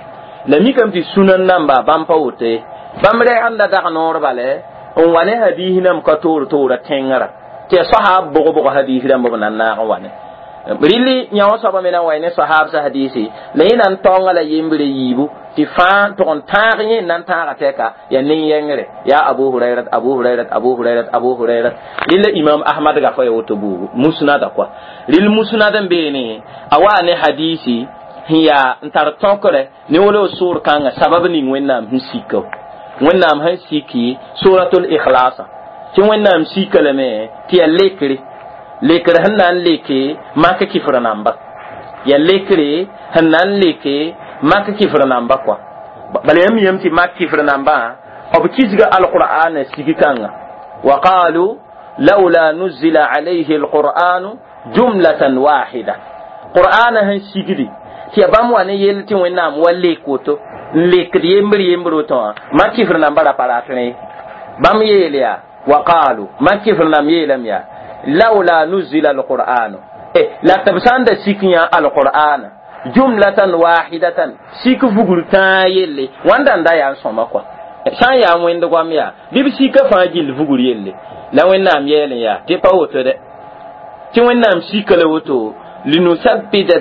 La mikame tɩ sunan namba bãmb pa woto ye, bãmb rɛgenda dag noor bale n wa ne hadis nam ka toor toora tẽngrã tɩ ya sahaab bʋg-bʋg hadis rãmb b na n naag n wa ne rɩlli. Yã wã soaba me na n wa ne sahaab sa hadisi la yẽ na n taonga la yembre yiibu tɩ fãa tʋg n tãag yẽ na n tãaga tɛka yaa nin-yɛngre yaa Abu Hurairat, Abu Hurairat, Abu Hurairat, Abu Hurairat. Rɩlla imam Ahmad gafa ya woto buugu musnada kɔa. Rɩl musnad n beene a waa ne hadisi sẽn yaa n tar tõkre ne wala sʋʋr kãngã sabab ning Wẽnnaam sẽn sika, Wẽnnaam sẽn siki suratul ikhlasa, tɩ Wẽnnaam sika lame tɩ yaa lekre, lekr sẽn na n leke mak kifr namba, yaa lekre sẽn na n leke mak kifr namba kɔa. Bala yãmb yam tɩ mak kifr nambã b kisga alqur'ana sigi kãnga wa qalu laula nuzila alayhi alqur'anu jumlatan wahida. Qur'ana sẽn sigdi tɩ ya bãmb wa ne yell tɩ Wẽnnaam wa lek woto n lekd yembr yembr woto wã mak kifr namba ra pa rat rẽ. Bãmb yeel yaa wa qalu mak kifr namb yeelame yaa laula nuzila alqur'anu, la tɩ b sã n da sik yã alqur'ana jumlatan wahidatan sik vugr tãa yelle wãnda n da yaa n sõma kɔa, sã n yaa wẽnd goam yaa bɩ b sika fãa gill vugr yelle. La Wẽnnaam yɛɛl n yaa tɩ pa woto dɛ, tɩ Wẽnnaam sika la woto linusabbita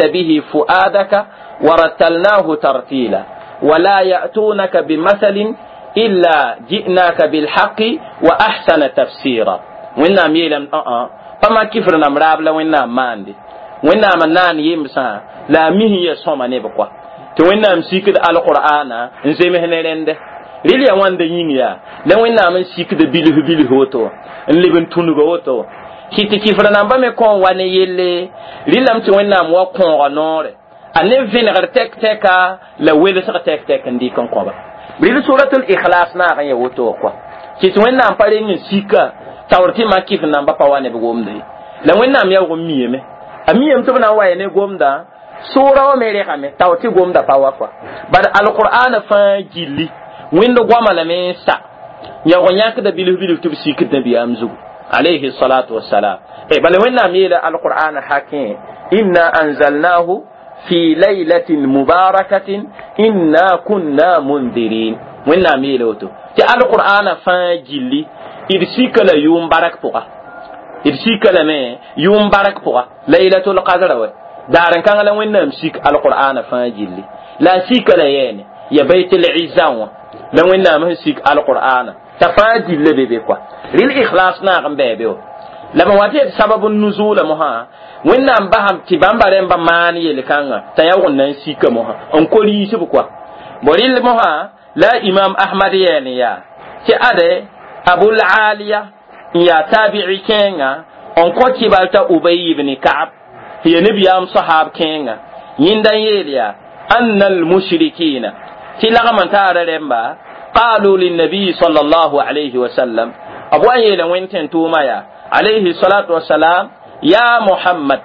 bihi fu'adaka warattalnahu tartila wala ya'tunaka bimathalin illa ji'naka bilhaqi wa ahsana tafsira. Wẽnnaam yeelame pa mak kifr nam raab la Wẽnnaam maande, Wẽnnaam n naan yemsã la a mis n ya sõma neb kɔa, tɩ Wẽnnaam sikd alqur'ana n zems ne rẽndɛ. Rɩl yaa wãnda yĩng yaa la Wẽnnaam n sikd bilf bilf woto n leb n tũnug woto kɩ tɩ kifr namba me kõ n wa ne yelle. Rɩlame tɩ Wẽnnaam wa kõoga noore a ne vẽnegr tɛk tɛka la welsg tɛk tɛk n dɩk n kõba. Rɩl suratul ikhlas naag n ya woto kɔa, kɩ tɩ Wẽnnaam pa reng n sika taoor tɩ mak kifr namba pa wa neb gomda ye. La Wẽnnaam yaoog n miyame, a miyame tɩ b na n wa ya ne gomda sʋʋra wã me regame taoor tɩ gomda pa wa kɔa. Bad alqur'ana fãa gilli wẽnd goama lame n sa yaoog n yãkda bilf bilf tɩ b sikd nabiyaam zugu alayhi salatu wassalam. Bala Wẽnnaam yeela alqur'ana hakẽ inna anzalnahu fi laylatin mubarakatin inna kunna mundirin. Wẽnnaam yeela woto tɩ alqur'ana fãa gilli d sika la yʋʋm bark pʋga, d sika lame yʋʋm bark pʋga laylatul qadra wa daar n kãng la Wẽnnaam sik alqur'ana fãa gilli. La a sika la yɛɛne ya baytul izza wã la Wẽnnaam sẽn sik alqur'ana t'a fãa gilla be be kɔa. Rɩl ikhlas naag n bɛɛ be wa la b wa tɩ sabab n nuzula mosã Wẽnnaam basam tɩ bãmba rẽmba maan yel-kãngã t'a yaoog n na n sika mosã n ko riisb kɔa. Bõ rɩl mosã la imam Ahmad yɛɛl n yaa tɩ ade Abul Aliya n yaa tabi'i kẽenga n kõ kibal t'a Ubay ibn Ka'ab tɩ ya nabiyaam sahaab kẽenga yẽnda n yeel yaa anna almushrikina tɩ lagm n taara rẽmba qalu linnabiyi sallallahu alayhi wa sallam b wa n yeela wẽnd tẽn-tʋʋma yaa alayhi salatu wasalam ya Muhammad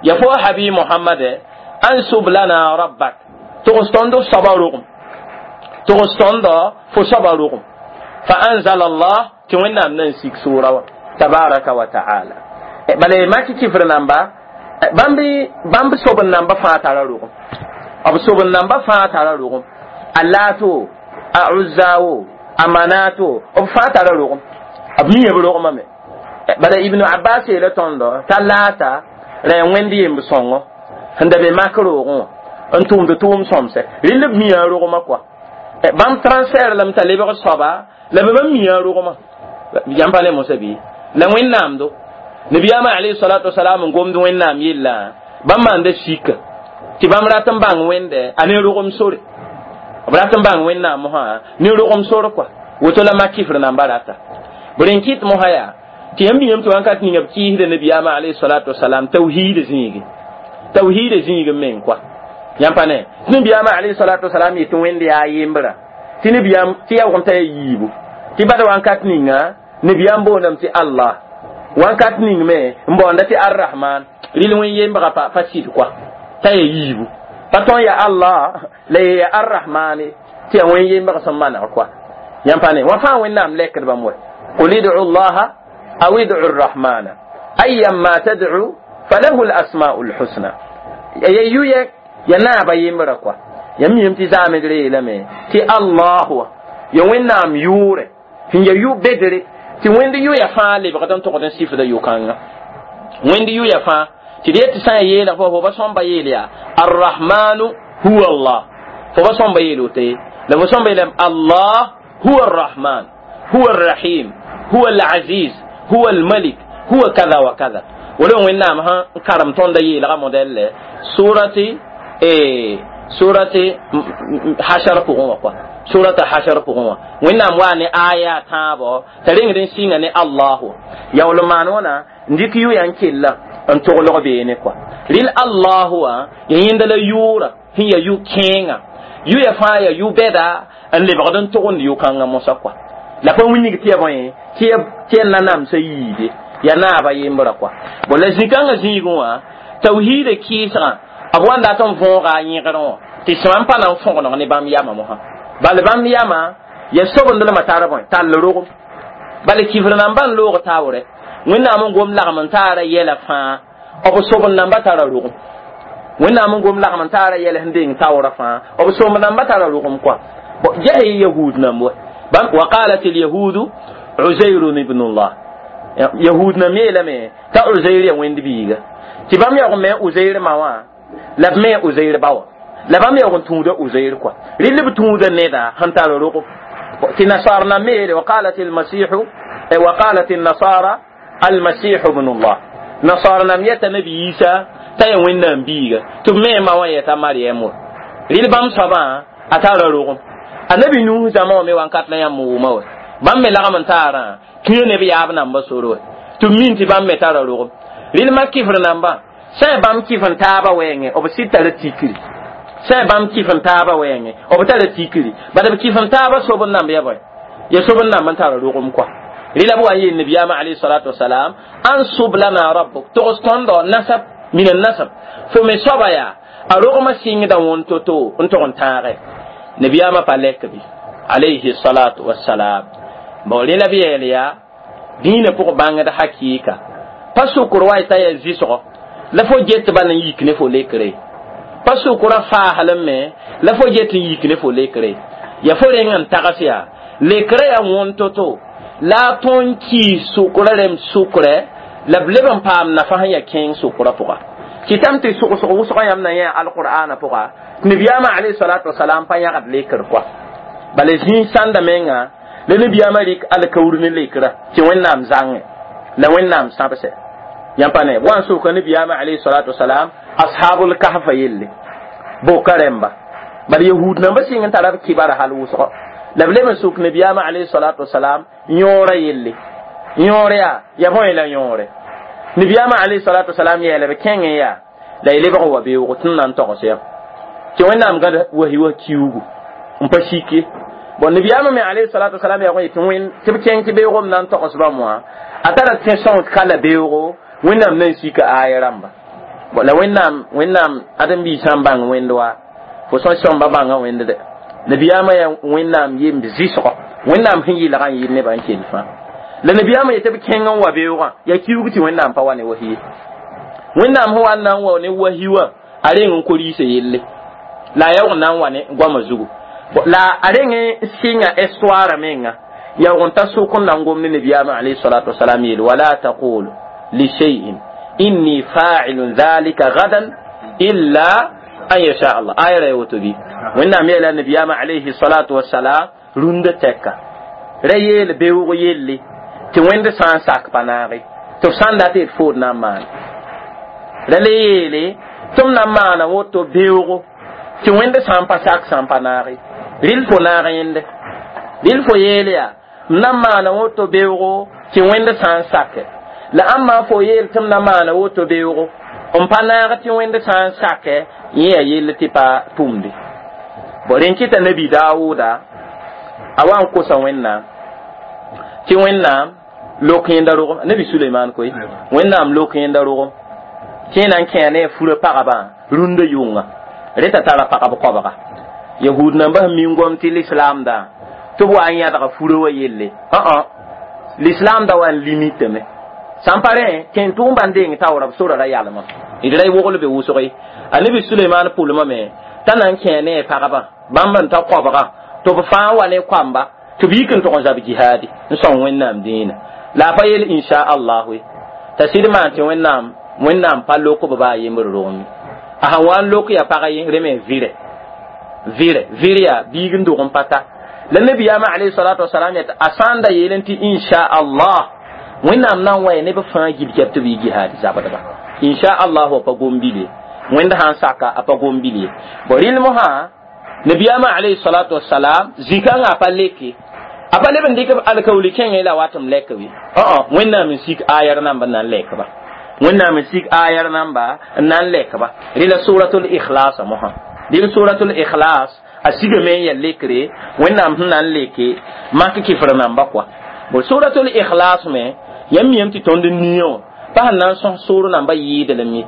ya fo habi Muhammad ansub lana rabbak togs tõnd f soaba rogem, togs tõnd fo soaba rogem. Fa anzala Allah Tɩ Wẽnnaam na n sik sʋʋra wã tabaraka wa taala. Bala maki kifr namba bãmb sob n namba fãa tara rogem, b sob n namba fãa tara rogem, a Laato, a Uzza wo, a Manato, b fãa tara rogem, b mia b rogmame. Bala Ibnu Abbas yeela tõndo t'a Laata ra yaa wẽnd yemb sõngo sẽn da be mak roogẽ wã n tʋmd tʋʋm sõmsɛ. Rɩl b mia a rogmã kɔa, bãmb transfert lame t'a lebg soaba la b bãmb mia a rogmã yãmb pa ne mosã bɩ la Wẽnnaamdo. Nabiyaamã alayhi salatu wasalam n gomd Wẽnnaam yella, bãmb maanda sika tɩ bãmb rat n bãng Wẽnde a ne rogem sore, b rat n bãng Wẽnnaam mosã ne rogem sore kɔa. Woto la mak kifr namba rata b rẽn kɩt mosã yaa tɩ yãmb yãmb tɩ wãnkat ninga b kɩɩsda nabiyaamã alayhi salatu wasalam tawhiida zĩigi, tawhiida zĩig meng kɔa. Yãmb pa ne tɩ nabiyaamã alayhi salatu wasalam yetɩ Wẽnd yaa yembra, tɩ nabiyaam tɩ yaoogem t'a ya yiibu, tɩ bada wãnkat ninga nabiyaam boondame tɩ Allah, wãnkat ning me n baoonda tɩ Arrahman. Rɩl wẽn yembga pa sɩd kɔa t'a ya yiibu, pa tõn ya Allah la ya Arrahmane, tɩ yaa wẽn yembg sẽn maneg kɔa. Yãmb pa ne wã fãa Wẽnnaam lɛkd bãmb wa: qul id'u llaha aw id'u rrahmana ayyamma tad'u falahu lasma'u lhusna. Ya yu ya naaba yembra kɔa. Yãmb miyame tɩ zaamdre yeelame tɩ Allah wa ya Wẽnnaam yʋʋrɛ sẽn ya yʋ bedre, tɩ wẽnd yʋya fãa lebgd n togd n sifda yʋ-kãnga, wẽnd yʋya fãa. Tɩ d yet tɩ sã n yeelg fo ba sõmba yeel yaa Arrahmanu huwa Allah, fo ba sõmba yeel woto ye, la fo sõmba yeelame Allah huwa Arrahman, huwa Arrahim, huwa Alaziz, huwa Almalik, huwa kada wa kada. Wala Wẽnnaam sẽn karem tõnda yeelga modɛlle surati Hashar pʋgẽ wã kɔa, surata Hashar pʋgẽ wã, Wẽnnaam waa ne aya tãabo t'a rengd n sɩnga ne Allahu. Yaool n maan wãna n dɩk yʋya n kella n toglg beene kɔa. Rɩl Allahu wã ya yẽnda la yʋʋra sẽn ya yʋ-kẽenga, yʋya fãa ya yʋ-bɛda n lebgd n togend yʋ-kãngã mosã kɔa. La pa wilg tɩ ya bõe tɩ ya nanamsã yiide ya naaba yembra kɔa. Bon, la zĩ-kãngã zĩigẽ wã tawhiida kɩɩsgã b wa n dat n võoga a yẽgrẽ wã tɩ sõm pa na n fõgeneg ne bãmb yamã mosã. Bala bãmb yamã ya sobendlmã tar bõe tall rogem, bala kifr namba n loog taoorɛ. Wẽnnaam n gom lagem n taara yɛla fãa, b sobend namba tara rogem. Wẽnnaam n gom lagem n taara yɛl sẽn deng taoorã fãa, b sobend namba tara rogem kɔa. Ges yahud namb wa: wa qalat alyahudu Uzairun ibnullah. Yahud nam yeelame t'a Uzair ya Wẽnd biiga, tɩ bãmb yaoog n me Uzair ma wã la b me Uzair ba wã, la bãmb yaoog n tũuda Uzair kɔa. Rɩl b tũuda neda sẽn tar rogem. Tɩ nasar nam me yeele wa qalat almasihu, wa qalat alnasara almasihu ibnullah. Nasar nam yeta nabi Isa t'a ya Wẽnnaam biiga, tɩ b me ma wã yeta Mariam wa. Rɩl bãmb soabã a tara rogem. Annabi Nuh zãma wã me wãnkat la yãmb wʋma wa, bãmb me lagm n taarã kĩo ne b yaab namba sor wa, tɩ b min tɩ bãmb me tara rogem. Rɩl mak kifr namba sã n bãmb kif n taaba wɛɛngẽ, b sɩd tara tikri. Sã n bãmb kif n taaba wɛɛngẽ, b tara tikri. Bala b kif n taaba sob n namb ya bõe ya sob n namb n tara rogem kɔa. Rɩla b wa n yeel nabiyaamã alayhi salatu wasalam: ansub lana rabbuk, togs tõndo nasab min nasab fo me soaba yaa a rogmã sɩngda wõn to-to n tog n tãage. Nabiyaamã pa lɛk bɩ alayhi salatu wasalam. Bon, rẽ la b yeel yaa dĩinã pʋg bãngd hakɩɩka pa sʋkr wa t'a ya zɩsgɔ la fo get bal n yik ne fo lekre, pa sʋkrã faasl me la fo get n yik ne fo lekre, ya fo reng n tags yaa lekrã yaa wõn to-to la a tõn kɩɩs sʋkrã rem sʋkrɛ la b leb n paam nafa sẽn ya kẽeng sʋkrã pʋga. Kɩtame tɩ sʋgsg wʋsgã yãmb na yẽ alqur'ana pʋga, tɩ nabiyaamã alayhi salatu wasalam pa yãgd lekr kɔa. Bala zĩig sãnda menga la nabiyaamã rɩk alkaoor ne lekrã tɩ Wẽnnaam zãngẽ la Wẽnnaam sãbsɛ. Yãmb pa ne b wa n soka nabiyaamã alayhi salatu wasalam ashabul kahfa yelle boka rẽmba. Bala yahud nambã sɩng n tara b kibara hal wʋsgɔ, la b leb n sok nabiyaamã alayhi salatu wasalam yõorã yelle. Yõor yaa ya bõe la yõore? Nabiyaamã alayhi salatu wasalam yeela b kẽngẽ yaa la y lebg n wa beoogo tɩ n na n togs yã tɩ Wẽnnaam gãd wahi wa kiuugu n pa sik ye. Bon, nabiyaamã me alayhi salatu wasalam yaoog n yetɩ wẽnd tɩ b kẽng tɩ beoogem na n togs bãmb wã, a tara tẽ sõng ka la beoogo Wẽnnaam na n sika aaya rãmba. Bon, la Wẽnnaam ãdem-biisã n bãng Wẽnd wa fo sõs sõmba bãnga Wẽnd dɛ. Nabiyaamã yaa Wẽnnaam yemb zɩsgɔ, Wẽnnaam sẽn yɩlga n yɩl nebã n kell fãa. La nabiyaamã yetɩ b kẽng n wa beoogã yaa kiuug tɩ Wẽnnaam pa wa ne wahi ye. Wẽnnaam sẽn wa n na n wa ne wahi wã, a reng n ko-riisã yelle la a yaoog n na n wa ne goamã zugu la a reng n sɩnga histoire menga yaoog n ta sʋk n na n gom ne nabiyaamã alayhi salatu wasalam yeel wala taqulu li shay'in inni fa'ilun dhalika gadan illa an yasha Allah. Aya ra woto bi Wẽnnaam yeela nabiyaamã alayhi salatu wasalam rũndã tɛka ra yeel beoog yelle tɩ Wẽnd sã n sak pa naage tɩ f sã n dat d food na n maan ra le yeele tɩ m na n maana woto beoogo tɩ Wẽnd sã n pa sak sã n pa naage rɩl fo naag yẽnde rɩl fo yeel yaa m na n maana woto beoogo tɩ Wẽnd sã n sake la ãmba fo yeel tɩ m na maana woto beoogo n pa naag tɩ Wẽnd sã n sake yẽ yaa yell tɩ pa tʋmde. Bo rẽn kɩta nabi Daawuda a wa n kosa Wẽnnaam tɩ Wẽnnaam lok yẽnda rogem nabi Suleiman koe Wẽnnaam lok yẽnda rogem tɩ na n kẽa ne a fura pagabã rũndã yʋnga reta tara pagb koabga yahud nambã sẽn min gom tɩ lislaamdã tɩ b wa n yãdga fura wa yelle ã lislaamdã wa n limitame sã n pa rẽ kẽn tʋʋm bãn deng taoora b sora ra yalmã d ra wogl be wʋsg ye. A nabi Suleiman pʋlmame t'a na n kẽ ne a pagba bãmb n ta koabga tɩ b fãa wa ne koamba tɩ b yik n tʋg n zab jihaadi n sõng Wẽnnaam dĩinã la a pa yel insha allahu ye t'a sɩd maan tɩ Wẽnnaam pa lok b baa yembr rogem a sãn wa n lok ya pag ye rẽ me vɩrɛ vɩrɛ vɩr yaa biig n dog n pa ta la nabiyaamã alayhi salatu wasalam yet a sã n da yeelẽ tɩ insha allah Wẽnnaam na n wa ya neb fãa gil kɛb tɩ b yi jihaad zabdba insha allah wa pa gom-bil ye Wẽnd sãn saka a pa gom-bil ye. Bo rɩl mosã nabiyaamã alayhi salatu wasalam zĩ-kãngã a pa leke a pa leb n dɩk alkaooli kẽngẽ la wat m lɛk be ã Wẽnnaam n sik ayar namba n na n lɛkba Wẽnnaam n sik ayar namba n na n lɛkba rɩla suratul ikhlas mosã rɩl suratul ikhlas a sigame n yaa lekre Wẽnnaam sẽn na n leke mak kɩfr namba kɔa. Bo suratul ikhlas me yãmb miyame tɩ tõnd nia wã pa sẽn na n sõs soor namba yɩɩdlem ye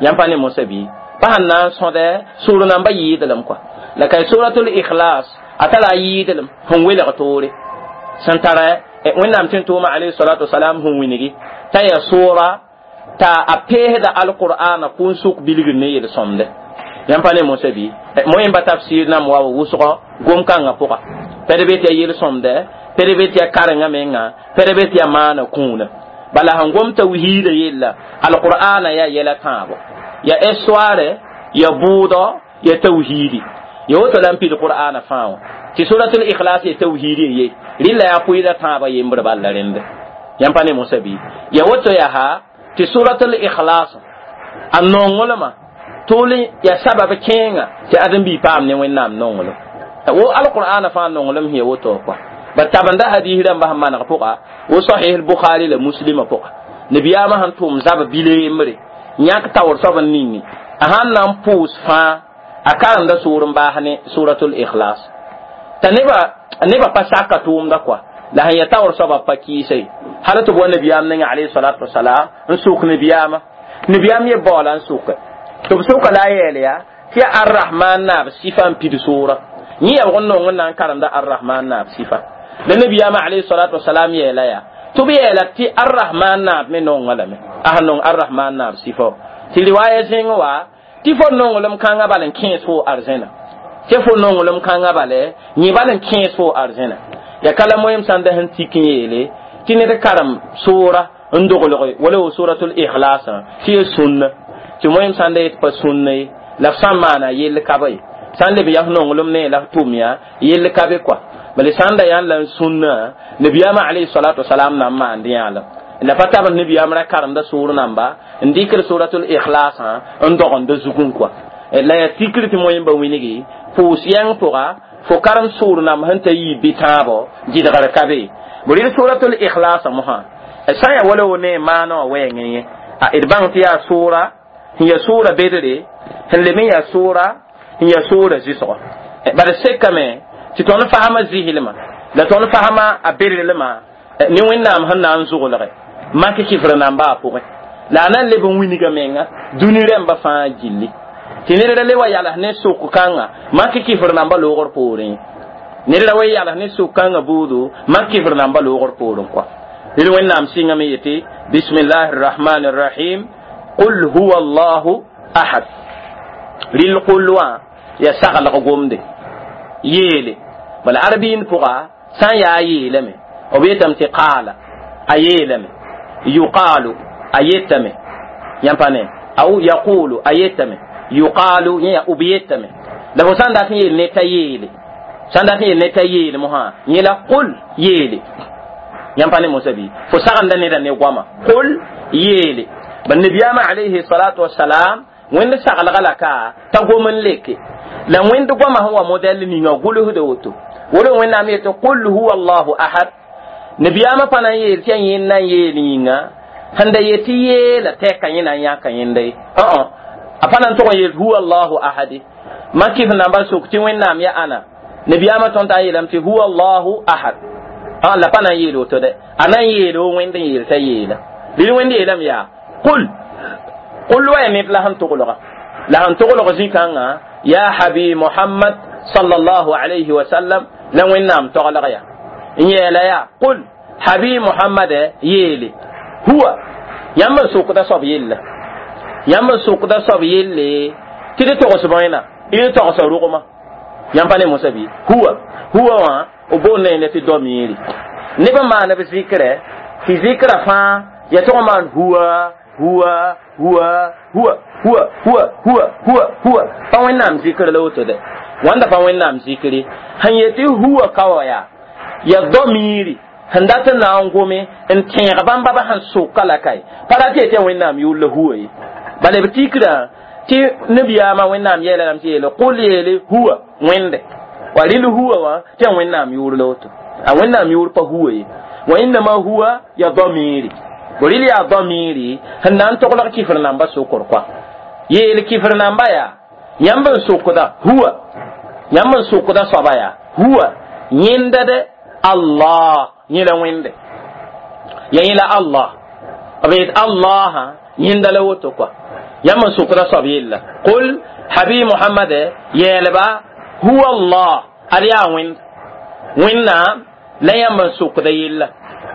yãmb pa ne mosã bɩ pa sẽn na n sõdɛ soor namba yɩɩdlem kɔa la ka suratul ikhlas a tara a yɩɩdlem sẽn welg toore sẽn tara Wẽnnaam tɩ n tʋʋma alayhi salatu wasalam sẽn wingi t'a yaa soora t'a a peesda alqur'ana kũn sʋk bilgr ne yel-sõmde yãmb pa ne mosã bɩ moẽmba tafsir nam wa wʋsgɔ gom-kãngã pʋga pɛd be tɩ yaa yel-sõmdɛ pɛd be tɩ yaa karengã menga pɛd be tɩ yaa maana kũuna bala sẽn gom tawhiida yella alqur'ana yaa yɛla tãabo yaa histoire ya bʋʋdɔ ya tawhiidi ya woto la n pid qur'ana fãa wã tɩ suratul ikhlas ya tawhiidi ye rɩla yaa pʋɩda tãabã yembr bal la rẽnd yãmb pa ne mosã bɩ ya woto yaa ha tɩ suratul ikhlas a nonglmã tʋʋl ya sabab kẽenga tɩ ãdem-biig paam ne Wẽnnaam nonglem wo alqur'ana fãa nonglem sẽn ya woto kɔa ba tabenda hadis rãmba sẽn maneg pʋga wo sahih al-Bukhari la Muslima pʋga nabiyaamã sẽn tʋʋm zab bile yembre yãk taoor soab n ningi a sãn na n pʋʋs fãa a karemda soor n baas ne suratul ikhlas t'a nebã pa saka tʋʋmda kɔa la sẽn ya taoor soabã pa kɩɩsa ye hal tɩ b wa nabiyaam ninga alayhi salatu wasalam n sʋk nabiyaamã nabiyaam ye baoola n sʋke tɩ b sʋka la a yɛɛl yaa tɩ yaa arrahman naab sifa n pid soora yẽ yaa b n nong n na n karemda arrahman naab sifa la nabiyaamã alayhi salatu wasalam yɛɛla yaa tɩ b yɛɛla tɩ arrahman naab me nonga lame a sẽn nong arrahman naab sifa tɩ riwaaya zẽng wa tɩ fo nonglem kãngã bal n kẽes fo arzẽna tɩ fo nonglem kãngã bale yẽ bal n kẽes fo arzẽna ya kala moyem sãn da sẽn tik n yeele tɩ ned karem soora n doglge wala wo suratul ikhlasã tɩ ya sũnna tɩ moyem sãn da yet pa sũnna ye la f sã n maana yell ka ye sã n leb yaa f nonglem ne la f tʋm yaa yell ka be kɔa bala sãn da yaa n la n sũnna nabiyaamã alayhi salatu wasalam na n maand yãalem la pa tab nabiyaam ra karemda soor namba n dɩkr suratul ikhlasã n dogenda zugẽ kɔa la yaa tikr tɩ moẽmba wingi pʋʋs yãng pʋga fo karem soor namb sẽn ta yii bɩ tãabo gɩdgr ka be b rɩl suratul ikhlasã mosã sã n yaa wala wo ne maana wã wɛɛngẽ yẽ d bãng tɩ yaa soora sẽn yaa soora bedre sẽn leb n yaa soora sẽn yaa soora zɩsgɔ bala sekame tɩ tõnd fasma zɩslmã la tõnd fasma a bedrlmã ne Wẽnnaam sẽn na n zʋglge mak kɩfr namba a pʋgẽ la a na n leb n wilga menga dũni rãmba fãa gilli tɩ ned ra le wa yals ne sʋk kãnga mak kɩfr namba loogr poorẽ ned ra wa yals ne sʋk kãngã buudu mak kɩfr namba loogr poorẽ kɔa Rɩl Wẽnnaam sɩngame yetɩ bismillahi rrahmani rrahim, qul huwa allahu ahad. Rɩl qul wã ya saglg gomde yeele. Bala arbiin pʋga sã n yaa yeelame, b yetame tɩ qaala a yeelame, yuqaalu a yetame, yãmb pa ne, aw yaqulu a yetame, yuqaalu yẽ yaa b yetame. La fo sã n dat n yeel ne t'a yeele, sã n dat n yeel ne t'a yeele mosã, yẽ la qul yeele. Yãmb pa ne mosã bɩ fo sagenda neda ne goama qul yeele. Ba nabiyaamã alayhi salatu wasalam Wẽnd saglga la ka t'a gom n leke la Wẽnd goamã sẽn wa modɛl ninga gʋlsda woto. Wolo Wẽnnaam yetɩ qul huwa allahu ahad. Nabiyaamã pa na n yeel tɩ yaa yẽnd na n yeel yĩnga sẽn da yetɩ yeela tɛka yẽ na n yãka yẽnda ye. A pa na n tʋg n yeel huwa allahu ahadi. Mak kɩf namba sok tɩ Wẽnnaam ya ãna, nabiyaamã tõnd t'a n yeelame tɩ huwa allahu ahad. La pa na n yeel woto dɛ, a na n yeel o Wẽnd n yeel t'a yeela. Rɩl Wẽnd yeelame yaa qul. Qul wa ya ned la sẽn toglga, la sẽn toglg zĩ-kãngã yaa habi Mohamad sallallahu alayhi wa sallam la Wẽnnaam toglg ya n yeela yaa qul habi Mohamad yeele huwa. Yãmb n sokda soab yella, yãmb n sokda soab yelle tɩ d togs bõena, d togsa rogma. Yãmb pa ne mosã bɩ huwa huwa wã b boonda yẽnda tɩ domiiri neb n maan b zɩkrɛ tɩ zɩkrã fãa ya tʋg n maan huwa huwa huwa huwa huwa huwa huwa huwa huwa. Pa Wẽnnaam zikr la woto dɛ, wãnda pa Wẽnnaam zikri sẽn yetɩ huwa ka wa yaa ya domiiri sẽn dat n na n gome n tẽeg bãmba ba sẽn soka la kae pa rat yetɩ ya Wẽnnaam yʋʋr la huwa ye. Bala b tikrã tɩ nabiyaamã Wẽnnaam yɛɛla lame tɩ yeele qul yeele huwa Wẽnde wa rɩl huwa wã tɩ ya Wẽnnaam yʋʋr la woto. A Wẽnnaam yʋʋr pa huwa ye, wa innama huwa ya domiiri bo rɩl yaa domiiri sẽn na n toglg kifr namba sokr koa yeel kifr namba yaa yãmb n sokda huwa, yãmb n sokda soaba yaa huwa yẽnda dɛ Allah yẽ la Wẽnde ya yẽ la Allah b yet Allah yẽnda la woto koa. Yãmb n sokda soab yella qul habi Mohamad yeelba huwa Allah ad yaa Wẽnd Wẽnnaam la yãmb n sokda yella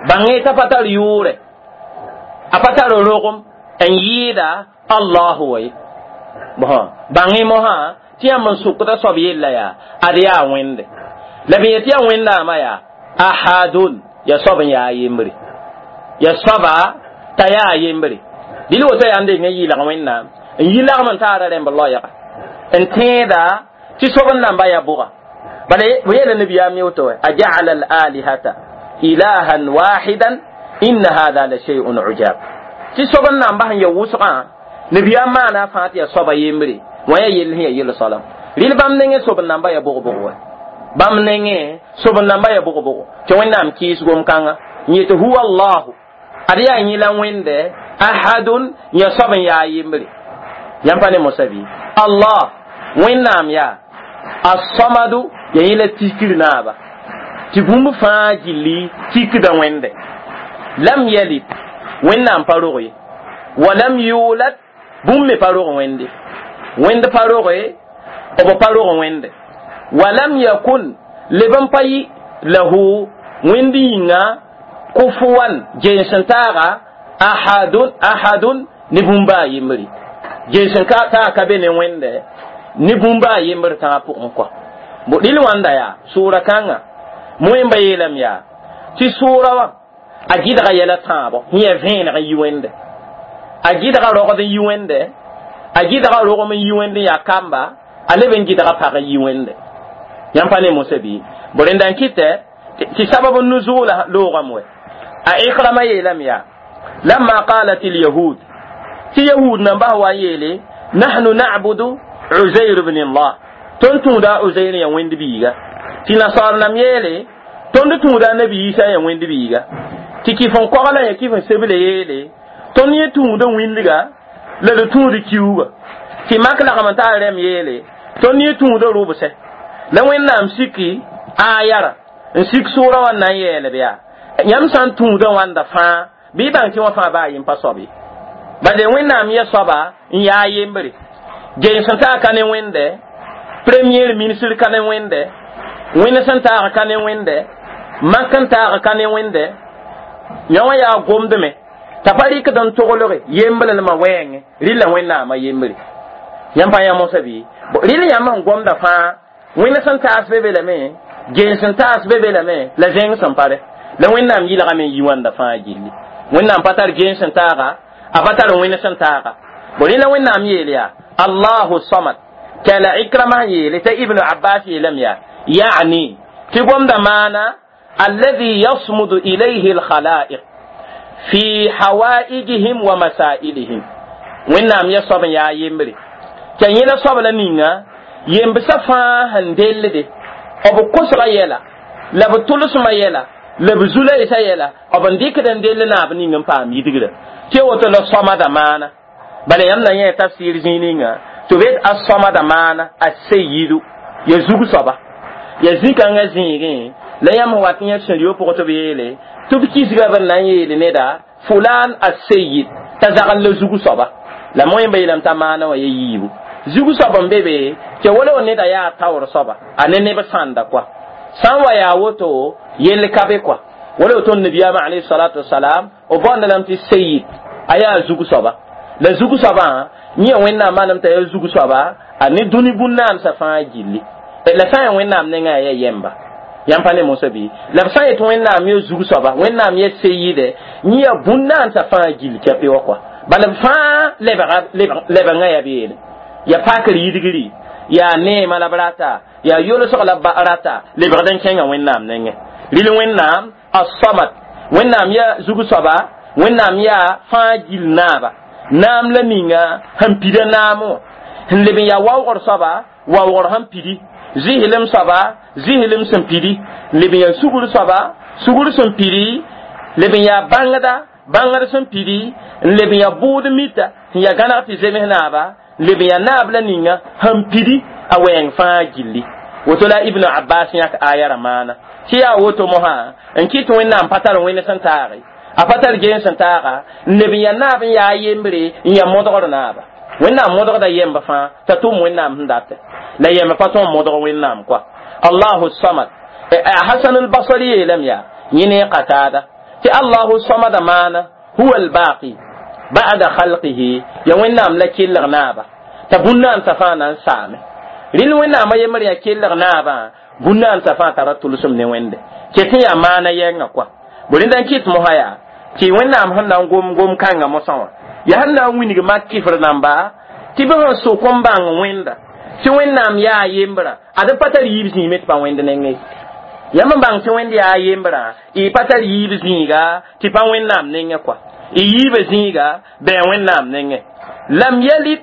bãng t'a pa tar yʋʋrɛ, a pa tar rogem n yɩɩda Allahu wa ye. Bãng mosã tɩ yãmb n sokda soab yella yaa ad yaa Wẽnde la b yetɩ yaa Wẽnnaamã yaa ahadun ya soab n yaa yembre, ya soaba t'a yaa yembre. Dɩl woto yaa n deng n yɩɩlg Wẽnnaam n yi lagm n taara rẽmb loɛɛga n tẽeda tɩ soab n namba ya bʋga. Bala b yeela nabiyaam woto a jaala al alihata ilahan wahidan inna hada la shay'un ujab. Tɩ soab n namba sẽn ya wʋsgã nabiyaam maana a fãa tɩ ya soaba yembre wã ya yell sẽn ya yel soalam. Rɩl bãmb nengẽ soab n namba ya bʋg-bʋg wa, bãmb nengẽ soab n namba ya bʋg-bʋg tɩ Wẽnnaam kɩɩs gom-kãnga n yetɩ huwa allahu ad yaa yẽ la Wẽnde ahadun ya soab n yaa yembre. Yãmb pa ne mosã bɩ Allah Wẽnnaam yaa asamadu ya yẽ la tikr naaba tɩ bũmb fãa gilli tikda Wẽnde. Lam yalid Wẽnnaam pa rog ye, wa lam yulad bũmb me pa rog Wẽnde, Wẽnd pa roge, b pa rog Wẽnde. Wa lam yakun leb n pa yɩ lahu Wẽnd yĩnga kufuwan jens n taaga ahadun ahadun ne bũmba a yembre. Jens n taag ka be ne Wẽnde ne bũmba a yembr tãgã pʋgẽ kɔa. Bo rɩl wãnda yaa sʋʋra kãnga moẽmba yeelame yaa tɩ sʋʋra wã a gɩdga yɛla tãabo sẽn yaa vẽeneg n yi Wẽnde, a gɩdga rogd n yi Wẽnde, a gɩdga rogem n yi Wẽnd n yaa kamba, a leb n gɩdga pag n yi Wẽnde. Yãmb pa ne mosã bɩ bo rẽnda n kɩtɛ tɩ sabab n nuzuula loogame wɛ. A Ikrama yeelame yaa lamma qalat alyahud tɩ yahud nambas wa n yeele nahnu na'budu Uzair bn Allah, tõnd tũuda Uzair ya Wẽnd biiga. Tɩ nasaar nam yeele tõnd tũuda nabi Isa ya Wẽnd biiga. Tɩ kɩf n kogla ya kɩf n seble yeele tõnd yẽ tũuda wĩndga la d tũud kiuuga. Tɩ mak lagm n taa rɛm yeele tõnd yẽ tũuda rʋbsɛ la Wẽnnaam siki aayara n sik sʋʋra wã na n yeelb yaa yãmb sã n tũuda wãnda fãa bɩ bãng tɩ wã fãa baa yem pa soab ye. Bala Wẽnnaam ya soaba n yaa yembre gens n taag ka ne Wẽnde, premier ministre ka ne Wẽnde, Wẽnd sẽn taag ka ne Wẽnde, mak n taag ka ne Wẽnde, Yã wã yaa gomdme t'a pa rɩkd n toglge yemblmã wɛɛngẽ rɩla Wẽnnaamã yembre. Yãmb pa yã mosã bɩ rɩl yãmb sẽn gomda fãa wẽnd sẽn taas be be lame, gens sẽn taas be be lame, la zẽng sẽn pare la Wẽnnaam yɩlgame n yi wãnda fãa gilli. Wẽnnaam pa tar gens sẽn taaga, a pa tar wẽnd sẽn taaga. Bo rẽla Wẽnnaam yeel yaa Allahu Samad. T'a la Ikrama sẽn yeele t'a Ibnu Abbas yeelame yaa ya'ni tɩ gomda maana alladhi yasmudu ilayhi alkhalaiq fi hawaijihim wa masailihim. Wẽnnaam ya soab n yaa yembre t'a yẽla soab la ninga yembsã fãa sẽn dellde b kosga yɛla la b tʋlsmã yɛla la b zu-loeesã yɛla b n dɩkd n dell naab ning n paam yidgrã tɩ woto la sõmada maana. Bala yãmb na yẽ tafsir zĩig ninga tɩ b yet a sõmada maana a seyidu ya zug soaba ya zĩ-kãngã zĩigẽ la yãmb sẽn wat n yẽ sẽn pʋgẽ tɩ b yeele tɩ b kisga b na n yeele neda fulan a seyid t'a zagl la zug soaba la moẽmba yeelame t'a maana wã ya yiibu zug soab n be be tɩ wala neda yaa taoor soaba a ne neb sãnda kɔa sã n wa yaa woto yell ka be kɔa wala woto nabiyaamã alayhi salatu wasalam b bõonda lame tɩ seyid a yaa zug soaba la zug soabã yẽ Wẽnnaam maanam t'a yaa zug soaba a ne dũni bũn-naamsã fãa gilli la sã n yaa Wẽnnaam nengã yaa yɛmba. Yãmb pa ne mosã bɩ la b sã n yet Wẽnnaam ya zug soaba, Wẽnnaam ya seyide, yẽ yaa bũn-naamsã fãa gill kɛpɩ wa kɔa bala b fãa lebengã yaa beene ya pakr yidgri yaa neema la b rata yaa yolsg la b rata lebgd n kẽnga Wẽnnaam nengẽ. Rɩl Wẽnnaam as-Samad, Wẽnnaam ya zug soaba, Wẽnnaam yaa fãa gill naaba naam la ninga sẽn pida naam wã sẽn leb n yaa waoogr soaba, waoogr sẽn pidi zɩslem soaba, zɩslem sẽn pidi leb n yaa sugr soaba, sugr sẽn pidi leb n yaa bãngda, bãngd sẽn pidi n leb n yaa bʋʋd mita sẽn yaa gãneg tɩ zems naaba leb n yaa naab la ninga sẽn pidi a wɛɛng fãa gilli. Woto la Ibnu Abbas yãk aya ra maana tɩ yaa woto mosã n kɩt Wẽnnaam pa tar wẽnd sẽn taage, a pa tar gen sẽn taaga n leb n yaa naab n yaa yembre n yaa modgr naaba. Wẽnnaam modgda yemb fãa t'a tʋm Wẽnnaam sẽn datɛ la yemb pa tõe n modg Wẽnnaam kɔa. Allahu Samad. Hasan al-Basri yeelame yaa yẽ ne Qatada tɩ Allahu Samada maana huwa al-baqi ba'da khalqihi ya Wẽnnaam la kelg naaba t'a bũn-naamsã fãa na n saame. Rɩl Wẽnnaamã yembr yaa kelg naabã bũn-naamsã fãa tara tʋlsem ne Wẽnde ket n yaa maana yɛngã kɔa. Bo rẽnda n kɩt mosã yaa tɩ Wẽnnaam sẽn na n gom gom kãngã mosã wã yaa sẽn na n wilg mak kɩfr namba tɩ bɩ sẽn sok n bãng Wẽnda tɩ Wẽnnaam yaa yembrã ad pa tar yiib zĩime tɩ pa wẽnd nengẽ. Yãmb n bãng tɩ Wẽnd yaa yembrã y pa tar yiib zĩiga tɩ pa Wẽnnaam nengẽ kɔa y yiibã zĩiga bɩ Wẽnnaam nengẽ. Lam yalid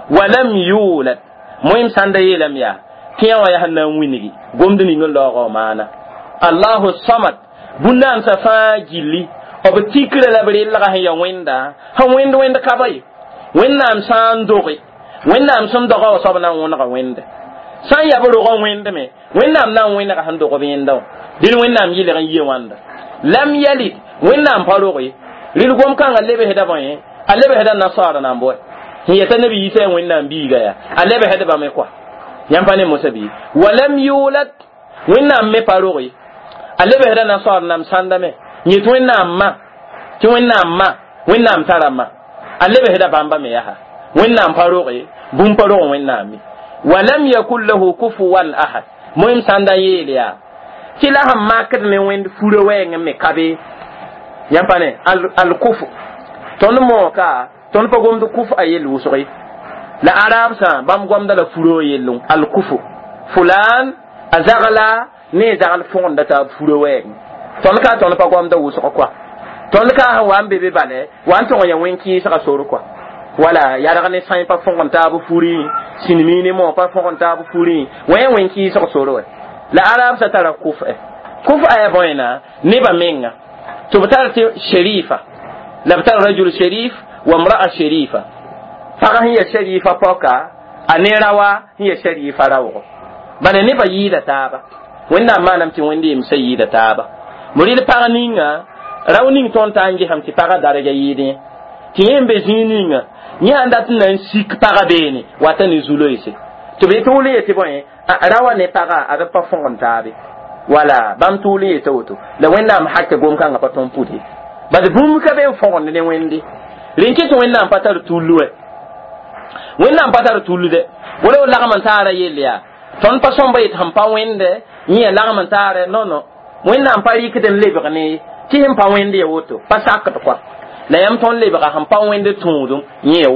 wa lam yulad moẽm sãnda yeelame yaa tɩ yã wã yaa sẽn na n wilgi gomd ning n laoogã maana Allahu Samad bũn-naamsã fãa gilli b tikrã la b relga sẽn ya Wẽnda sẽn wẽnd wẽnd ka ba ye. Wẽnnaam sã n doge Wẽnnaam sẽn doga wã soab na n wõnega Wẽnde sã n yaa b rogã wẽndme Wẽnnaam na n wẽnega sẽn dog b yẽnda wã dẽn Wẽnnaam yɩlg n yie wãnda. Lam yalid Wẽnnaam pa roge rɩl gom-kãngã lebsda bõe a lebsda nasaara nan bõe sẽn yeta nabi Yisa yaa Wẽnnaam biiga yaa a lebsdbame kɔa. Yãmb pa ne mosã bɩ walam yulad Wẽnnaam me pa roge a lebsda nasaar nam sãndame yet Wẽnnaam ma tɩ Wẽnnaam ma Wẽnnaam tara ma a lebsda bãmba me yaa Wẽnnaam pa roge bũmb pa rog Wẽnnaam me. Walam yakun lahu kufuwan ahad moẽm sãnda n yeel yaa tɩ la sẽn makd ne Wẽnd furã wɛɛngẽ me ka be. Yãmb pa ne alkufu tõnd mooka tõnd pa gomd kuf a yell wʋsg la arab sã bãmb gomda la furã yellẽ alkufu fulan a zagla ne zagl fõgenda t'a furã wɛɛngẽ tõnd ka tõnd pa gomda wʋsg kɔa tõnd ka sẽn wa n be be bale wa n tõg ya wẽn kɩɩsga sor kɔa wala yarg ne sãy pa fõgen taab furẽ sĩnmi ne mo pa fõgen taab furẽ wã ya wẽn kɩɩsg sor wɛ la arab sã tara kuf kuf a ya bõena nebã menga tɩ b tar tɩ sherifa la b tar rajul sherif wa mra'a sherifa pag sẽn ya sherifa pɔka a ne rawa sẽn ya sherifa raoogo bala nebã yɩɩda taaba Wẽnnaam maanam tɩ wẽnd yemsã yɩɩda taaba mo rɩl pag ninga rao ning tõnd t'a n gesame tɩ pagã darga yɩɩdẽ tɩ yẽ n be zĩig ninga yẽ sãn dat n na n sik pagã beene wata ne zu-loeese tɩ b tʋʋl n yetɩ bõe rawa ne pagã ad pa fõgen taabe wala bãmb tʋʋl n yeta woto la Wẽnnaam hakɛ gom-kãngã pa tõnd pʋd ye. Bad bũmb ka be n fõgend ne Wẽnde. Rẽn ket Wẽnnaam pa tar tullu wɛ, Wẽnnaam pa tar tullude. Wala lagm n taara yell yaa tõnd pa sõmba yet sẽn pa wẽnde yẽ ya lagm n taare. Non, non, Wẽnnaam pa rɩkd n lebg ne tɩ sẽn pa wẽnd ya woto pa sakd kɔa la yãmb tõnd lebga sẽn pa wẽnd tũudum yẽ ya woto.